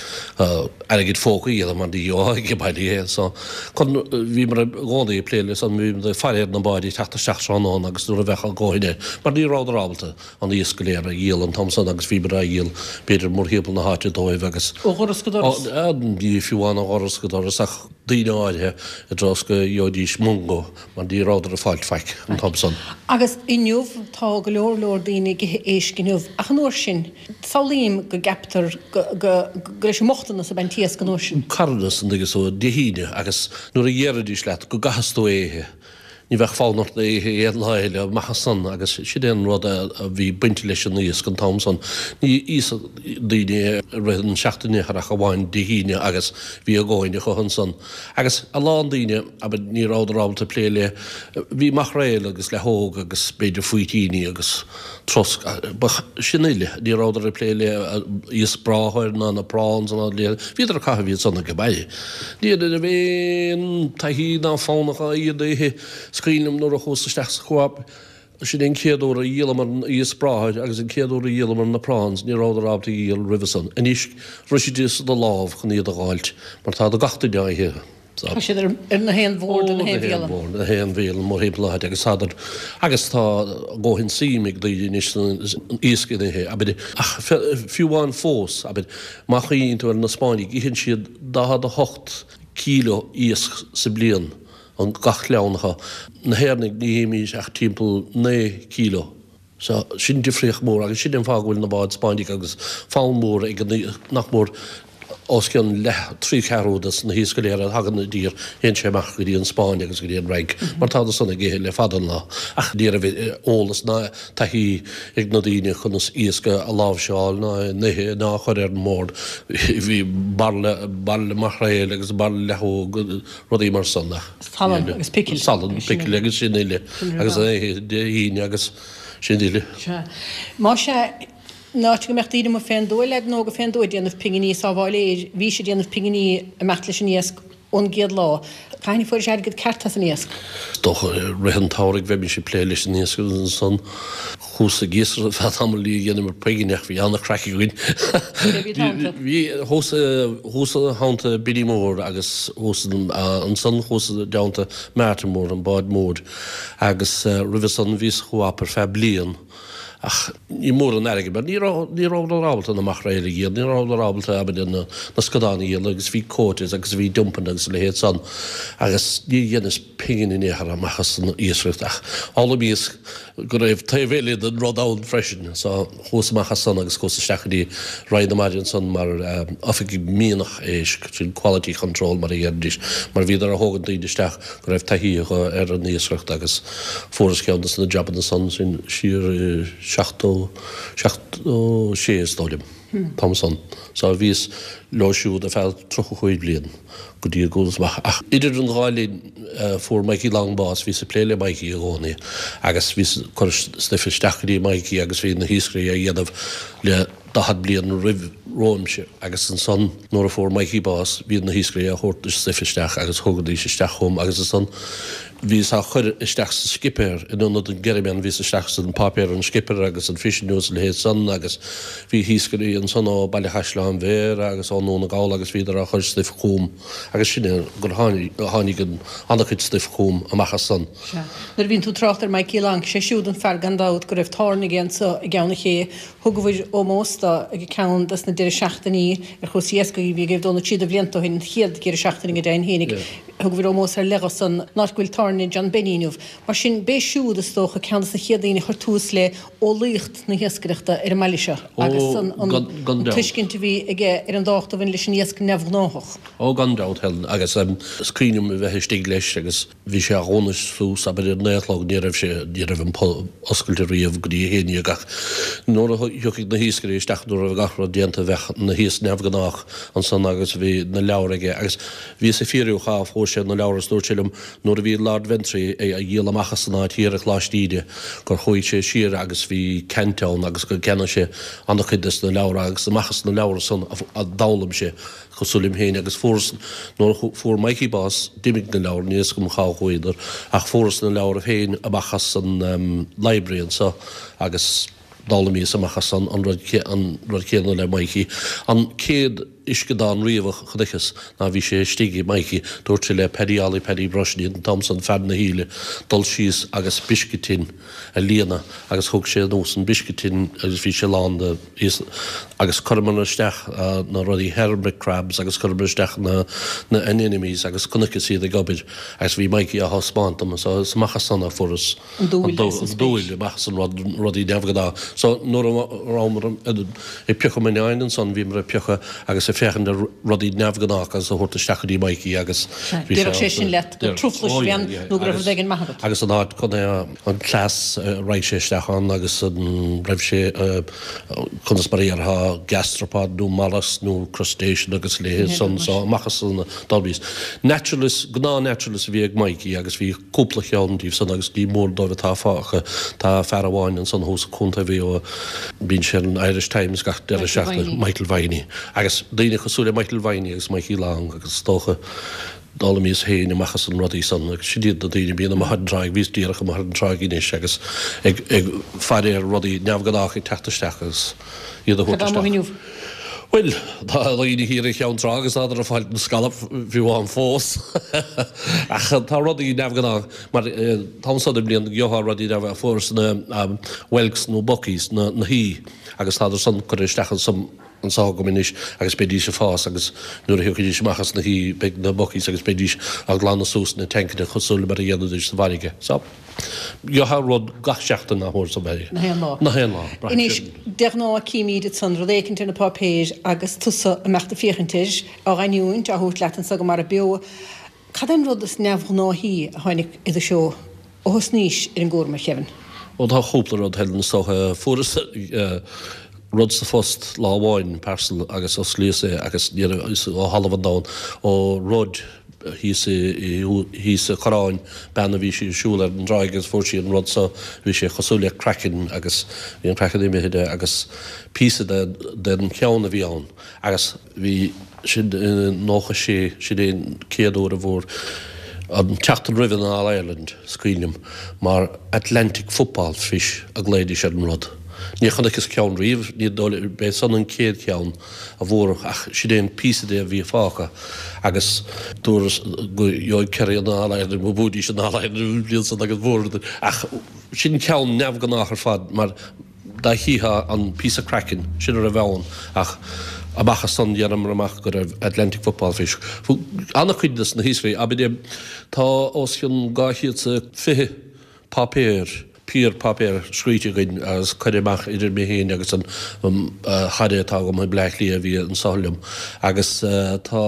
airgead phóca a dhéanamh mar ní gheobhthá ag baile é so chun, bhíomar i gcónaí ag plé le san, bhíomar ag faire ar na báid ag teacht isteach tráthnóna agus nuair a bheadh a ndóthain air mar ní rabhadar ábalta an iasc go léir a dhíol an t-am san agus bhíomar á dhíol b'fhéidir mórthimpeall na háite dóibh agus. Ó dhoras go doras? Ní fiú amháin ó dhoras go doras ach daoine áirithe i dtreo is go gheobhaidís mungo mar ní rabhadar ag fáilt faic an t-am san. Agus inniu, tá go leor leor daoine ag ithe éisc inniu, ach an uair sin, samhlaím go gceaptar go go leis an mbochtanas ab ea an t-iasc an uair sin. Carthanas an dtuigeann tú, Dé hAoine agus nuair a dhéarfaidís leat go gcaithfeas tú é a ithe, Ní bheadh fonn ort é a ithe aon lá eile amach as san agus sin é an rud a bhí bainte leis an iasc an t-am san. Ní íosfadh daoine é i rith an seachtaine ach amháin Dé hAoine agus bhí a dhóthain acu ansan. Agus a lán daoine, abair, ní rabhadar ábalta plé le, bhí maicréal agus leathóg agus b'fhéidir faoitíní agus trosc, sin uile. Ní rabhadar ag plé le iasc bráthair ná na prawns ná a leithéid. Bhíodar ag caitheamh iad san age baile. Ní raibh aon taithí ná fonn acu iad a ithe. Is cuimhin liom nuair a chuas isteach sa Co-op, sin é an chéad uair a dhíolamar an iasc bráthair agus an chéad uair a dhíolamar na prawns, ní rabhadar ábalta a dhíol roimhe san. Anois, bhrisfidís do lámh chun iad a dh'fháilt mar tá gach duine á ithe. Tá siad ar na haon bhord, ar na haon bhialann. Ó, na haon bhialann mórthimpeall na háite agus tádar, agus tá a dhóthain suim ag daoine anois san iasc a ithe, abair, ach fiú amháin fós, abair, má chuimhníonn tú ar na Spáinnigh, itheann siad daichead a hocht kíló iasc sa bliain, an gach clann acu. Na hÉireannaigh, ní ithimís ach timpeall naoi kíló. So, sin difríocht mhór agus sin é an fáth go bhfuil na báid Spáinnigh agus fonn mór ag an, nach mór os cionn leath, trí cheathrú des na hiasc go léir a thagann i dtír, théann sé amach go dtí an Spáinn agus go dtí an Fhrainc mar tá san ag ithe le fada an lá. Ach ní raibh eolas ná taithí ag na daoine conas iasc a láimhseáil ná a ithe ná a chur ar an mbord. Bhí bairille, bairille maicréil agus bairille leathóg, rudaí mar san ach. Salann agus picil. Salann, picil agus sin uile agus an oíche Dé hAoine agus. Sin uile. Sea. Más ea, in áit go mbeadh daoine amuigh fén dtuath, leaideanna óga fén dtuath ag déanamh pinginí ag sábháil fhéir, bhís ag déanamh pinginí ag imeacht leis an iasc ón gcéad lá. Cathain a fuairis airgead ceart as an iasc? Is dócha i rith an tsamhraidh bheimis ag plé leis an iasc agus ansan chuas ag iascaireacht ar feadh tamaill ní dheineamar pingin ach bhí an-chraic againn. Cé a bhí i do theannta? Bhí, chuas, chuas i dteannta Billy Mór agus chuas ansan chuas i dteannta Martin Mór, an bád mór. Agus roimhe san bhíos sa Co-op ar feadh bliain ach ní mór an airgead mar ní raibh, ní rabhadar ábalta na maicréil a dhíol, ní rabhadar ábalta abair na, na scadáin a dhíol agus bhí quotas agus bhí dumping agus a leithéid san agus ní dheineas pingin in aon chor amach as an iascaireacht ach d'fhoghlaimíos go raibh taobh eile den rud ann freisin so chuas amach as san agus chuas isteach go dtí Roinn na Mara ansan mar oifigeach mianach éisc, sin quality control mar a dheiridís, mar bhíodar a thógaint daoine isteach go raibh taithí acu ar an iascaireacht agus fuaireas ceann de na jabanna san sin siar i seachtó, seachtó sé is dóigh liom, an t-am san. So bhíos leo siúd ar feadh tríocha cúig bliain go dtí go gcuas amach. Ach idir an dhá linn fuair Mikey Long bás, bhíos ag plé le Mikey i gcónaí agus bhíos ag cur stuif isteach go dtí Mikey agus bhí na hiascairí á dhéanamh le daichead bliain roimh romhaimse agus ansan nuair a fuair Mikey bás bhí na hiascairí á thabhairt stuif isteach agus thugaidís isteach chugam agus ansan bhíos á chur isteach sa scipéar in ionad an greamán bhíos isteach san páipéar an skipper agus an Fish News a leithéid san agus bhí hiascairí ansan ó Baile Chaisleáin Bhéarra agus ó nDún na Gall agus bhíodar á chur stuif chugam agus sin é gur tháinig an an-chuid stuif chugam amach as san. Sea. Nuair a bhíonn tú ag trácht ar Mikey Long, sé siúd an fear gan dabht go raibh tairne aige anso i gCeann an Ché. Thugabhair ómós do ag ceann des na deireadh seachtainí ar chúrsaí iascaigh a bhí ag dul na trí de bhlianta ó shin, an chéad dheireadh seachtaine go deimhin fhéinig. Thugabhair ómós ar leith dho san áit go bhfuil tairne John Benny inniu. Mar sin, b'é siúd, is dócha, ceann des na chéad daoine a chuir tús le eolaíocht na hiascaireachta ar an mbaile seo agus an Gan dabht. tuiscint a bhí aige ar an dtábhacht a bhain leis an iasc neamhghnáthach. Ó, gan dabht, Helen, agus is cuimhin liom a bheith istigh leis agus bhí sé á dhúnadh suas, abair, ar naoi a chlog, ní raibh sé, ní raibh an pub oscailte riamh go dtí a haon déag ach nuair a thiocfadh na hiascairí isteach nuair a raibh gach rud déanta bheadh na hiasc neamhghnách ansan agus bhí na leabhair aige agus bhíos ag fiafraí cá fuair sé na leabhair agus dúirt sé liom nuair a bhí lá Ard Bheanntraí a dhíol amach as an áit thiar i Coláiste Íde gur chuaigh sé siar agus bhí ceant ann agus gur cheannaigh sé an-chuid des na leabhra agus amach as na leabhra san a d'fhoghlaim sé cosúil liom féin agus fuaireas nuair a fuair Mikey bás d'imigh na leabhra níl a fhios agam cá chuadar ach fuaireas na leabhra féin amach as an library anseo agus d'fhoghlaimíos amach as an rud an rud céanna le Mikey. An chéad uisceadán riamh a chonaiceas ná bhí sé istigh ag Mikey, dúirt sé le Paddy Ollie Paddy Brush an t-am san fear na híle dul síos agus biscuit tin a líonadh agus thug sé anuas an biscuit tin agus bhí sé lán de agus chuireamar isteach na rudaí hermit crabs agus chuireamar isteach na na anemones agus chonaiceas iad ag obair agus bhí Mikey á thaispeáint dom so is amach as san a fuaireas An dúil agus an an dúil amach as an rud rudaí neamhghnách. So nuair a rabhamar ag piocadh mionnáin ansan bhíomar ag piocadh agus ag féachaint ar rudaí neamhghnách agus a thabhairt isteach go dtí Mikey agus bhí sé Déarfadh sé sin leat gur truflais a bhí ann nó go raibh rud éigin maith agat. Agus an áit chun an cleas a raibh sé isteach ann agus an raibh sé conas mar a dhéarfá gastropod nó mollusk nó crustacean agus a leithéid san so amach as san d'fhoghlaimíos. Naturalist, gnáth naturalist a bhí ag Mikey agus bhí cúpla cheann díobh san agus ní mór dóibh atá fágtha. Tá fear amháin ansan thuas i Contae Mhaigh Eo, bíonn sé ar an Irish Times gach deireadh seachtaine, Michael Viney. Agus daoine cosúil le Michael Viney agus Mikey Long agus is dócha d'fhoghlaimíos féin amach as an rudaí san agus sin iad na daoine a bhíonn amuigh ar an tráigh, bhíos díreach amuigh ar an tráigh anois agus ag ag faire ar rudaí neamhghnách ag teacht isteach agus iad a Cad thabhairt tá amuigh isteach. inniu? Bhuel, tá daoine thiar i gCeann Trá agus tádar ag fáilt na scallop fiú amháin fós. Ach tá rudaí neamhghnách mar an t-am so den bhliain gheofá rudaí neamh fuaireas na whelks nó buckies na na haoi agus tádar san curtha isteach ansan anseo agam anois agus beidís ag fás agus nuair a thiocfaidís amach as na haoi beidh na buckies agus beidís á glanadh suas na tancanna cosúil le mar a dhéanfaidís sa bhfarraige. So, gheofá rud gach seachtain nach mór sa bhaile. Na haon lá. Na haon lá, braitheann Anois, sin. de ghnáth címid ansan rud éicint ar na páipéir agus tusa ag imeacht ag féachaint air, á ghiniúint, á thabhairt leat anso go Mara Beo. Cad é an rud is neamhghnáithí a tháinig i do threo ó thosnaís ar an gcúram, a Kevin? Ó tá cúpla rud, Helen, is dócha. Fuaireas rud sa phost lá amháin, parcel, agus osclaíos é agus ní raibh fhios ó thalamh an domhain, ó rud thíos i thíos sa Choireán, bean a bhí sí ag siúl ar an dtráigh agus fuair sí an rud so, bhí sé cosúil le craiceann agus bhí an craiceann imithe de agus píosa de den cheann a bhí ann agus bhí sin i nócha sé, sin é an chéad uair a bhfuair an tseachtain roimh an All Ireland, is cuimhin liom, mar Atlantic football fish a ghlaoidís ar an rud. Níor chonaiceas ceann riamh, ní dóigh liom, b'é san an chéad cheann a bhfuaradh ach sin é an píosa de a bhí fágtha agus dúradh go gheobhaidh Kerry an All Ireland, go mbuafaidís an All Ireland an bhliain san agus bhuadar ach sin ceann neamhghnách ar fad mar dá chífeá an píosa craicinn, sin a raibh ann ach amach as san dhéanamar amach go raibh Atlantic football fish. An-chuid de na hiascairí, abair, tá os cionn dhá chéad 's a fiche páipéar, fíorpháipéar scríte againn agus curtha amach idir mé féin agus an chara atá agam i mBleá Cliath a bhí anso liom agus tá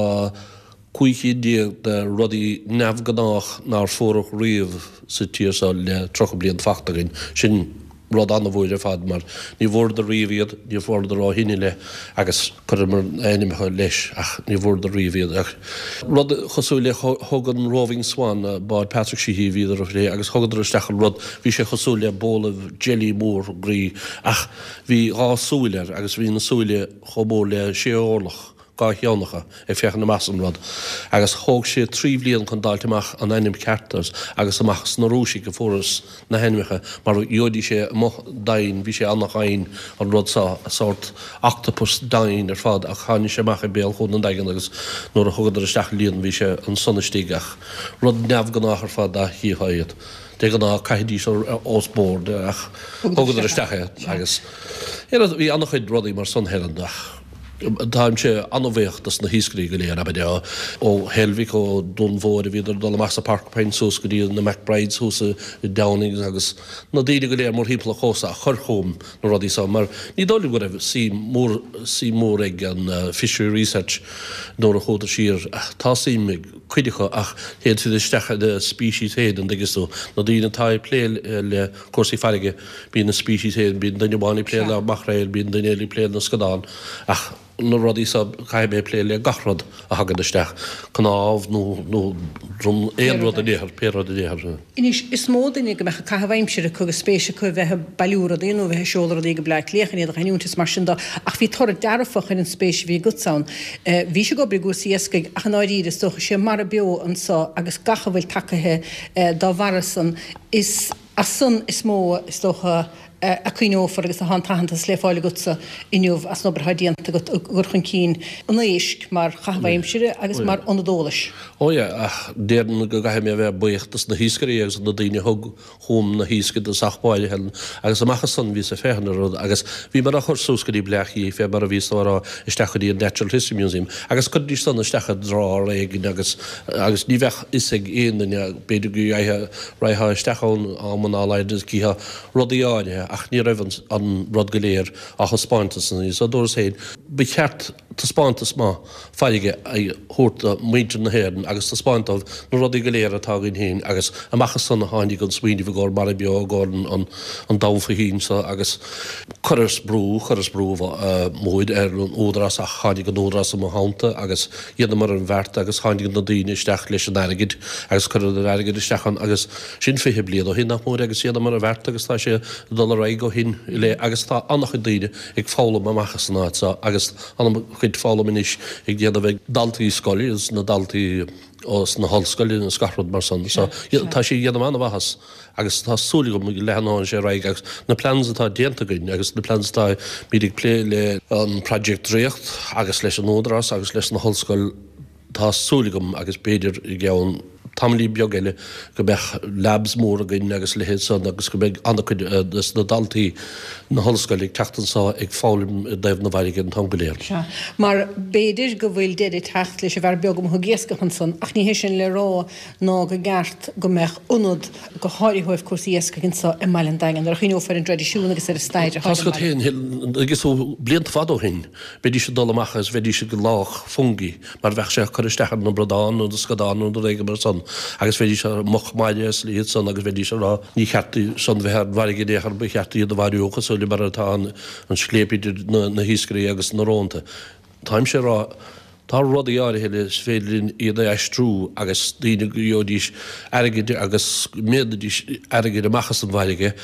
cúig cinn déag de rudaí neamhghnách nár fuaradh riamh sa tír seo le tríocha bliain fachta againn. Sin rud an-mhór ar fad mar ní bhfuaireadar riamh iad, ní bhfuaireadar ó shin i leith agus chuireamar ainmneacha leis ach ní bhfuaireadar riamh iad ach rud cosúil le thug an Roving Swan, bád Patrick Sheehy a bhíodar a phlé agus thugadar isteach an rud, bhí sé cosúil le bóla jelly mór groí ach bhí dhá súil air agus bhí na súile chomh mór le sé orlach. dhá cheann acu ag féachaint amach as an rud agus thóg sé trí bhliain chun d'fháilt amach an ainm ceart air agus amach as na Rúisigh a fuarthas na hainmneacha mar gheobhaidís é amuigh domhain, bhí sé an-domhain an rud seo, sórt octopus domhain ar fad ach tháinig sé amach i béal Chuan an Daingin agus nuair a thugadar isteach an líon bhí sé ansan istigh ach rud neamhghnách ar fad dá chífeá iad. De ghnáth caithfidís os bord ach thugadar isteach é agus bhí an-chuid rudaí mar san Helen ach. Táimse an-bhuíoch dos na hiascairí go léir, abair, ó Heilbhic, ó Dún Mhóir a bhíodar ag dul amach sa Porcupine suas go dtí na McBrides thuas i Downings agus na daoine go léir mórthimpeall an chósta a chuir chugam na rudaí so mar ní dóigh liom go raibh suim mór, suim mór ag an Fishery Research nuair a chuadar siar. Tá suim ag cuid acu ach téann siad isteach ina species féin, an dtuigeann tú. Na daoine atá ag plé le cúrsaí farraige, bíonn a species féin, bíonn duine amháin ag plé le maicréil, bíonn duine eile ag plé le scadán ach. na rudaí so caithfidh mé plé le gach rud a thagann isteach, cnámh nó nó drom, aon rud in aon chor, pé rud in aon chor. Anois, is mó duine go mbeadh caitheamh aimsire acu agus spéis acu a bheith ag bailiú rudaí nó a bheith ag seoladh rudaí go Bleá Cliath chun iad a ghiniúint is mar sin de, ach bhí toradh dearfach ar an spéis a bhí agatsa ann. Bhís ag obair i gcúrsaí iascaigh ach i ndáiríre is dócha sé Mara Beo anso agus gach a bhfuil tacaithe dá bharra san, is as san is mó is dócha a cuimhneofar agus atá an t-aitheantas le fáil agatsa inniu as an obair atá déanta agat i gcur chun cinn an éisc mar chaitheamh aimsire agus mar ionad eolais. Ó yeah, ach déarfainn go gcaithfidh mé a bheith buíoch dos na hiascairí agus na daoine a thug chugam na hiasc i dtosach báire, Helen, agus amach as san bhíos ag féachaint ar rud agus bhíomar á chur suas go dtí Bleá Cliath fé mar a bhíos tú a rá isteach go dtí an Natural History Museum agus chuiridís san isteach i drawer éigin agus agus ní bheadh fhios ag aon duine b'fhéidir go raghfá isteach ann amanna dá laghad is chífeá rudaí áirithe ach ní raibh an rud go léir á thaispeántas san so dúras féin ba cheart taispeántas maith farraige a thabhairt do mhuintir na hÉireann agus taispeáint dóibh na rudaí go léir atá againn féin agus amach as san a tháinig an smaoineamh i gcomhair Mara Beo i gcomhair an an domhan faoi thoinn so agus chuireas brú chuireas brú mór ar an Údarás ach tháinig an Údarás i mo theannta agus dheineamar an bheart agus tháinig na daoine isteach leis an airgead agus cuireadh an airgead isteach ann agus sin fiche bliain ó shin nach mór agus dheineamar an bheart agus tá sé ag dul ar aghaidh ó shin i leith agus tá an-chuid daoine ag foghlaim amach as an áit seo agus an-chuid foghlaim anois ag déanamh ag daltaí scoile agus na daltaí ós na hollscoileanna agus gach rud mar san. So tá sé ag déanamh an-mhaitheas agus tá súil agam go leathnóidh sé ar aghaidh agus na plans atá déanta againn agus na plans atá muid ag plé le an Project Draíocht agus leis an Údarás agus leis na hollscoil tá súil agam agus b'fhéidir i gceann tamaillín beag eile go mbeadh labs mór againn agus leithéid san agus go mbeidh an-chuid des na daltaí na hollscoile ag teacht anso ag foghlaim i dtaobh na bhfarraige an t-am go léir. Sea, mar b'fhéidir go bhfuil deireadh ag teacht leis an bhfear beag amuigh ag iascach ansan, ach ní hé sin le rá ná go gceart go mbeadh ionad go háirithe ó thaobh cúrsaí iascaigh anso i mbaile an Daingin, nuair a chuimhneofar ar an dtraidisiún agus ar an stair atá ag an mbaile. Agus ó blianta fada ó shin, bheidís ag dul amach agus bheidís ag lách fungi mar bheadh sé ag cur isteach ar na bradáin nó na scadáin nó rud éigin mar san agus bheidís ar muc mhaide is iad san agus bheidís ag rá ní cheart san bheith ar an bhfarraige in aon chor ba cheart iad a mharú cosúil le mar atá an scléip idir na hiascairí agus na rónta. Táimse ag rá tá rudaí áirithe eile is féidir linn iad a aistriú agus daoine go gheobhaidís airgead agus go ndéanfaidís airgead amach as an bhfarraige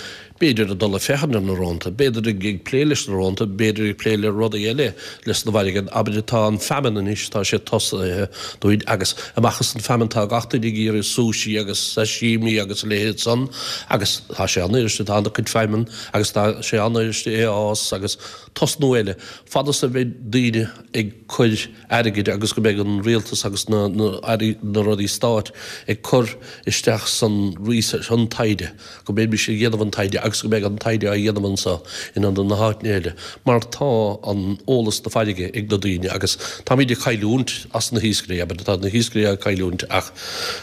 b'fhéidir ag dul ag féachaint ar na rónta, b'fhéidir ag plé leis na rónta, b'fhéidir ag plé le rudaí eile leis na bhfarraige. Abair tá an feamainn anois, tá sé tosaithe dúinn agus amach as an feamainn tá gach duine ag iarraidh sushi agus sashimi agus a leithéid san agus tá sé an-fhuiriste, tá an-chuid feamainn agus tá sé an-fhuiriste é a fhás agus tosnú eile. Fad is a bheidh daoine ag cur airgid agus go mbeidh an rialtas agus na na na rudaí stáit ag cur isteach san research, an taighde, go mbeimis ag déanamh an taighde agus go mbeidh an taighde á dhéanamh anseo in ionad na háiteanna eile mar tá an eolas na farraige ag na daoine agus táimid ag cailliúint as na hiascairí, abair, tá na hiascairí á cailliúint ach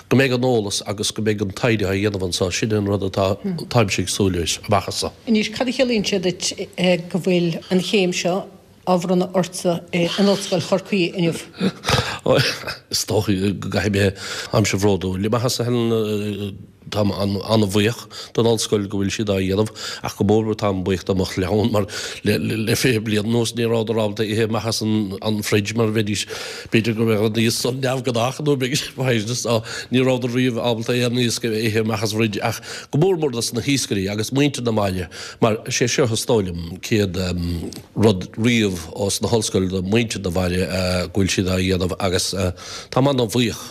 go mbeidh an eolas agus go mbeidh an taighde á dhéanamh anseo, sin an rud atá, táimse ag súil leis amach as seo. Anois, cad a chiallaíonn sé duit go bhfuil an chéim seo á bhronnadh ortsa in Ollscoil Chorcaí inniu? Is dócha go gcaithfidh mé, táimse bródúil. Maith as a Helen, táim an-bhuíoch don ollscoil go bhfuil siad á dhéanamh ach go mór mór táim buíoch do mo chlann mar le fiche bliain anuas ní rabhadar ábalta ithe amach as an fridge mar bheidís, b'fhéidir go mbeadh an iasc san neamhghnách nó b'fhéidir ní rabhadar riamh ábalta aon iasc a ithe amach as fridge ach go mór mór dos na hiascairí agus muintir na mbaile mar sé seo is dóigh liom céad rud riamh ós na hollscoil do mhuintir na bhaile go bhfuil siad á dhéanamh agus táim an-bhuíoch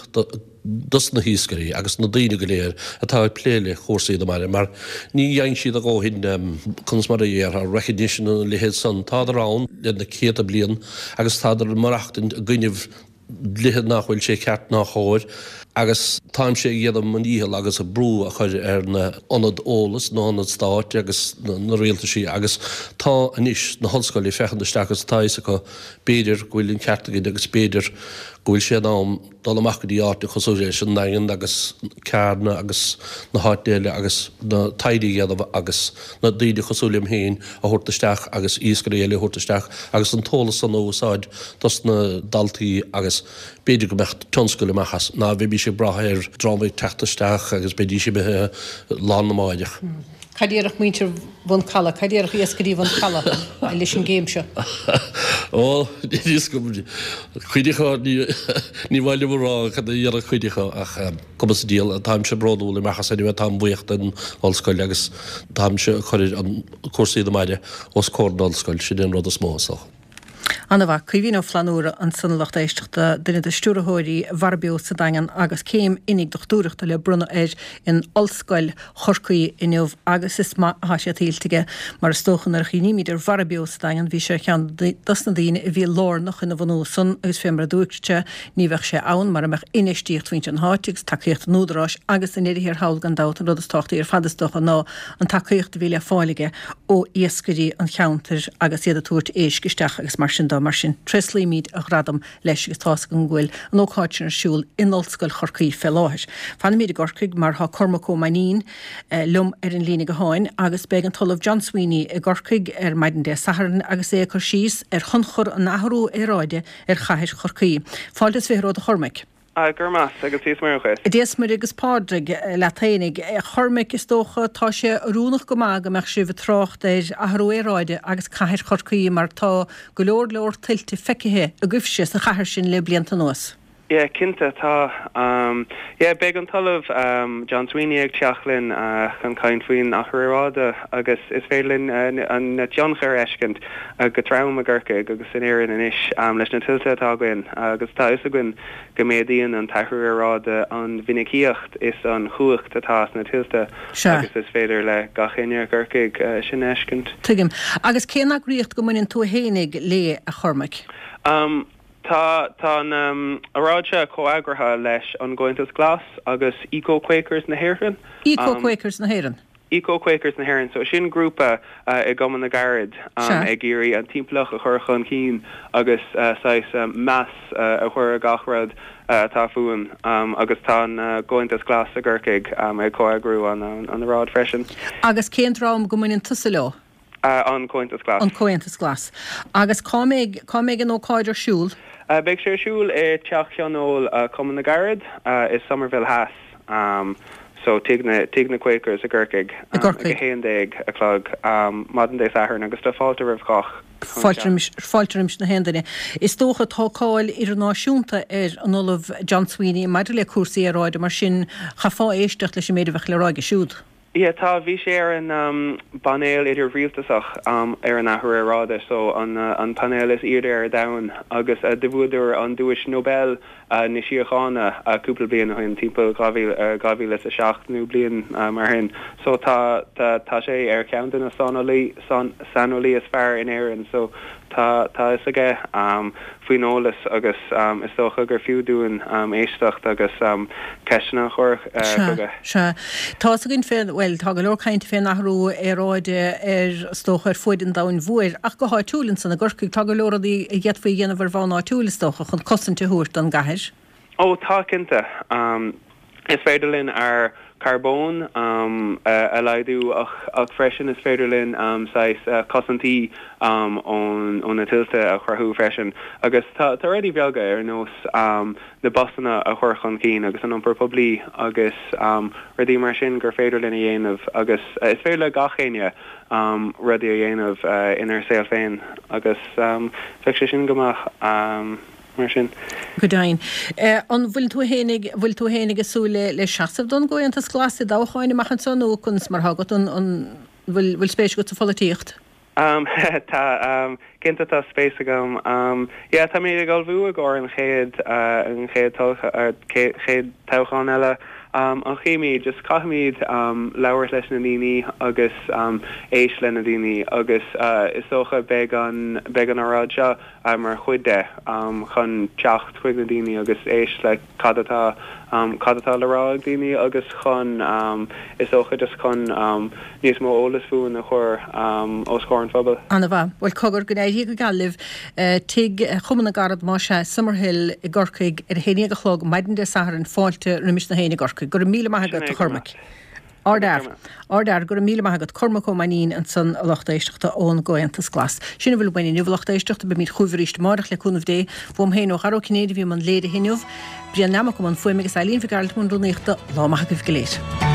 dos na hiascairí agus na daoine go léir atá ag plé le cúrsaí na mara mar ní dhein siad a dhóthain conas mar a déarfá recognition nó a leithéid san tádar ann le na céadta bliain agus tádar ag maireachtaint i gcoinnibh dlíthe nach bhfuil sé ceart ná chóir agus táimse ag déanamh mo dhícheall agus brú a chur ar na ionad eolas, na hionaid stáit agus na rialtaisí agus tá anois na hollscoil ag féachaint isteach agus tá a fhios acu b'fhéidir go bhfuil an ceart againn agus b'fhéidir go bhfuil sé in am dul amach go dtí áiteanna cosúil leis an nDaingean agus Carna agus na háiteanna eile agus na taighde a dhéanamh agus na daoine cosúil liom féin a thabhairt isteach agus iascairí eile a thabhairt isteach agus an t-eolas san a úsáid dos na daltaí agus b'fhéidir go mbeadh tionscal amach as ná bheimís ag brath ar dream ag teacht isteach agus beidís imithe lá arna mháireach. Cad déarfadh muintir Bhun Calaidh, cad déarfadh iascairí Bhun Calaidh leis an gcéim seo? Ó, níl fhios agam. Cuid acu, ní maith liom a rá cad a dhéanfadh cuid acu ach cuma sa diabhal, táimse bródúil amach as anyway, táim buíoch den ollscoil agus táimse ag cur an cúrsaí na mbaile os comhair na ollscoil, sin é an rud is mó is dócha. Ana-mhaith. Caoimhín Ó Flannúra ansan a lucht éisteachta, duine de stiúrthóirí Mhara Beo sa Daingean agus céim oinigh dochtúireachta le bronnadh air in Ollscoil Chorcaí inniu agus is maith atá sé tuillte aige mar is dócha nuair a chuimhnímid ar Mhara Beo sa Daingean bhí sé ar cheann dos na daoine a bhí lárnach ina bhunú san agus fé mar a dúirt sé ní bheadh sé ann mara mbeadh infheistíocht mhuintir na háite agus tacaíocht an údaráis agus i ndeireadh thiar thall gan dabht an rud is tábhachtaí ar fad is dócha ná an tacaíocht a bhí le fáil aige ó iascairí an cheantair agus iad ag tabhairt éisc isteach agus mar sin de. Mar sin, tréaslaímid a ghradam leis agus tá's agam go bhfuil an ócáid sin ar siúl in Ollscoil Chorcaí fé láthair. Fanfaimid i gCorcaigh mar tá Cormac Ó Mainnín liom ar an líne gutháin agus beidh an tOllamh John Sweeney i gCorcaigh ar maidin Dé Sathairn agus é ag cur síos ar thionchar an athrú aeráide ar chathair Chorcaí. Fáilte is fiche romhat a Chormaic. Go raibh maith agat, Dia is Muire dhuit. Dia is Muire agus Pádraig leat fhéinig. A Chormaic, is dócha, tá sé oiriúnach go maith go mbeadh sibh ag trácht ar athrú aeráide agus cathair Chorcaí mar tá go leor leor tuilte feicthe agaibhse sa chathair sin le blianta anuas. Yeah, cinnte, tá. Yeah, beidh an tOllamh John Sweeney ag teacht linn chun caint faoin athrú aeráide agus is féidir linn an tionchar a fheiscint go trom i gCorcaigh agus in Éirinn anois leis na tuilte atá againn agus tá a fhios againn go méadaíonn an t-athrú aeráide an mhinicíocht is an chumhacht atá sna tuilte agus is féidir le gach éinne i gCorcaigh sin a fheiscint. Tuigim. Agus cén eagraíocht go mbaineann tú fhéinig léi, a Chormaic? Tá tá an óráid seo comheagraithe leis an gComhaontas Glas agus Eco Quakers na hÉireann. Eco Quakers na hÉireann? Eco Quakers na hÉireann. So sin grúpa i gCumann na gCarad ag iarraidh an timpeallacht a chur chun cinn agus saghas meas a chur ar gach rud atá fúinn agus tá an gComhaontas Glas i gCorcaigh ag comheagrú an an óráid freisin. Agus cén dream go mbaineann tusa leo? An Comhaontas Glas. An Comhaontas Glas. Agus cá mbeidh, cá mbeidh an ócáid ar siúl? Beidh sé ar siúl i Teach Thionóil Chumann na gCarad i Somerville Theas, so Tigh na, Tigh na Quakers i gCorcaigh, I gCorcaigh. ag a haon déag a chlog, maidin Dé Sathairn agus tá fáilte roimh chách chun Fáilte teacht. roimis, fáilte roimis na haon duine. Is dócha tá cáil idirnáisiúnta ar an Ollamh John Sweeney maidir le cúrsaí aeráide, mar sin chaithfeá éisteacht leis an méid a bheadh le rá aige siúd. Yeah, tá, bhí sé ar an bpainéal idir-rialtasach ar an athrú aeráide, so an an painéal is airde ar domhan, agus do bhuadar an duais Nobel na síochána cúpla bliain ó shin, timpeall dhá mhíle, dhá mhíle is a seacht nó bliain mar shin. So tá, tá, tá sé ar cheann de na saineolaí, saineolaí is fearr in Éirinn, so tá, tá fhios aige faoin eolas agus is dócha gur fiú dúinn éisteacht agus ceisteanna a chur chuige. Sea, sea. Tá fhios againn fé, bhuel, tá go leor cainte fén athrú aeráide ar, is dócha, ar fuaid an domhain mhóir, ach go háitiúil ansan i gCorcaigh, tá go leor rudaí a d'fhéadfaí a dhéanamh ar bhonn áitiúil, is dócha, chun cosaint a thabhairt don gcathair. Ó, tá, cinnte. Is féidir linn ár carbón a laghdú ach freisin is féidir linn saghas cosaintí ó na tuilte a chruthú freisin. Agus tá rudaí beaga ar nós na busanna a chur chun cinn agus an iompar poiblí agus rudaí mar sin gur féidir linn a dhéanamh agus is féidir le gach éinne rudaí a dhéanamh inár saol féin agus bheadh sé sin go maith. Mar sin. Go deimhin. An bhfuil tú fhéinig, bhfuil tú fhéinig ag súil le, le seasamh don gComhaontas Glas i dtoghcháin amach anseo nó conas mar atá agat, an, an bhfuil, bhfuil spéis agat sa pholaitíocht? Tá, cinnte tá spéis agam. Yeah, tá mé ag ullmhú i gcomhair an chéad, an chéad chéad toghchán eile. Ach chímid, just caithfimid labhairt leis na daoine agus éist le na daoine agus is dócha beidh an, beidh an óráid seo mar chuid de chun teacht chuig na daoine agus éist le cad atá cad atá le rá ag daoine agus chun is dócha just chun níos mó eolas fúinn a chur os comhair an phobail. Ana-mhaith. Bhuel, cogar, go n-éirí go geal libh. Tigh Chumann na gCarad, más ea, Summerhill i gCorcaigh ar a haon déag a chlog maidin Dé Sathairn, fáilte roimis na héinne i gCorcaigh. Go raibh míle maith agat, a Chormaic. Ardfhear. Ardfhear. Go raibh míle maith agat. Cormac Ó Mainnín ansan, a lucht éisteachta, ón gComhaontas Glas. Sin a bhfuil uainn inniu, a lucht éisteachta. Beimid chugaibh arís amárach, le cúnamh Dé. Uaim féin, ó Dhara Ó Cinnéide, a bhí i mbun léirithe inniu. Brian Nammock i mbun fuaime agus Eileen Mhic Gearailt i mbun rúnaíochta. Lá maith agaibh go léir.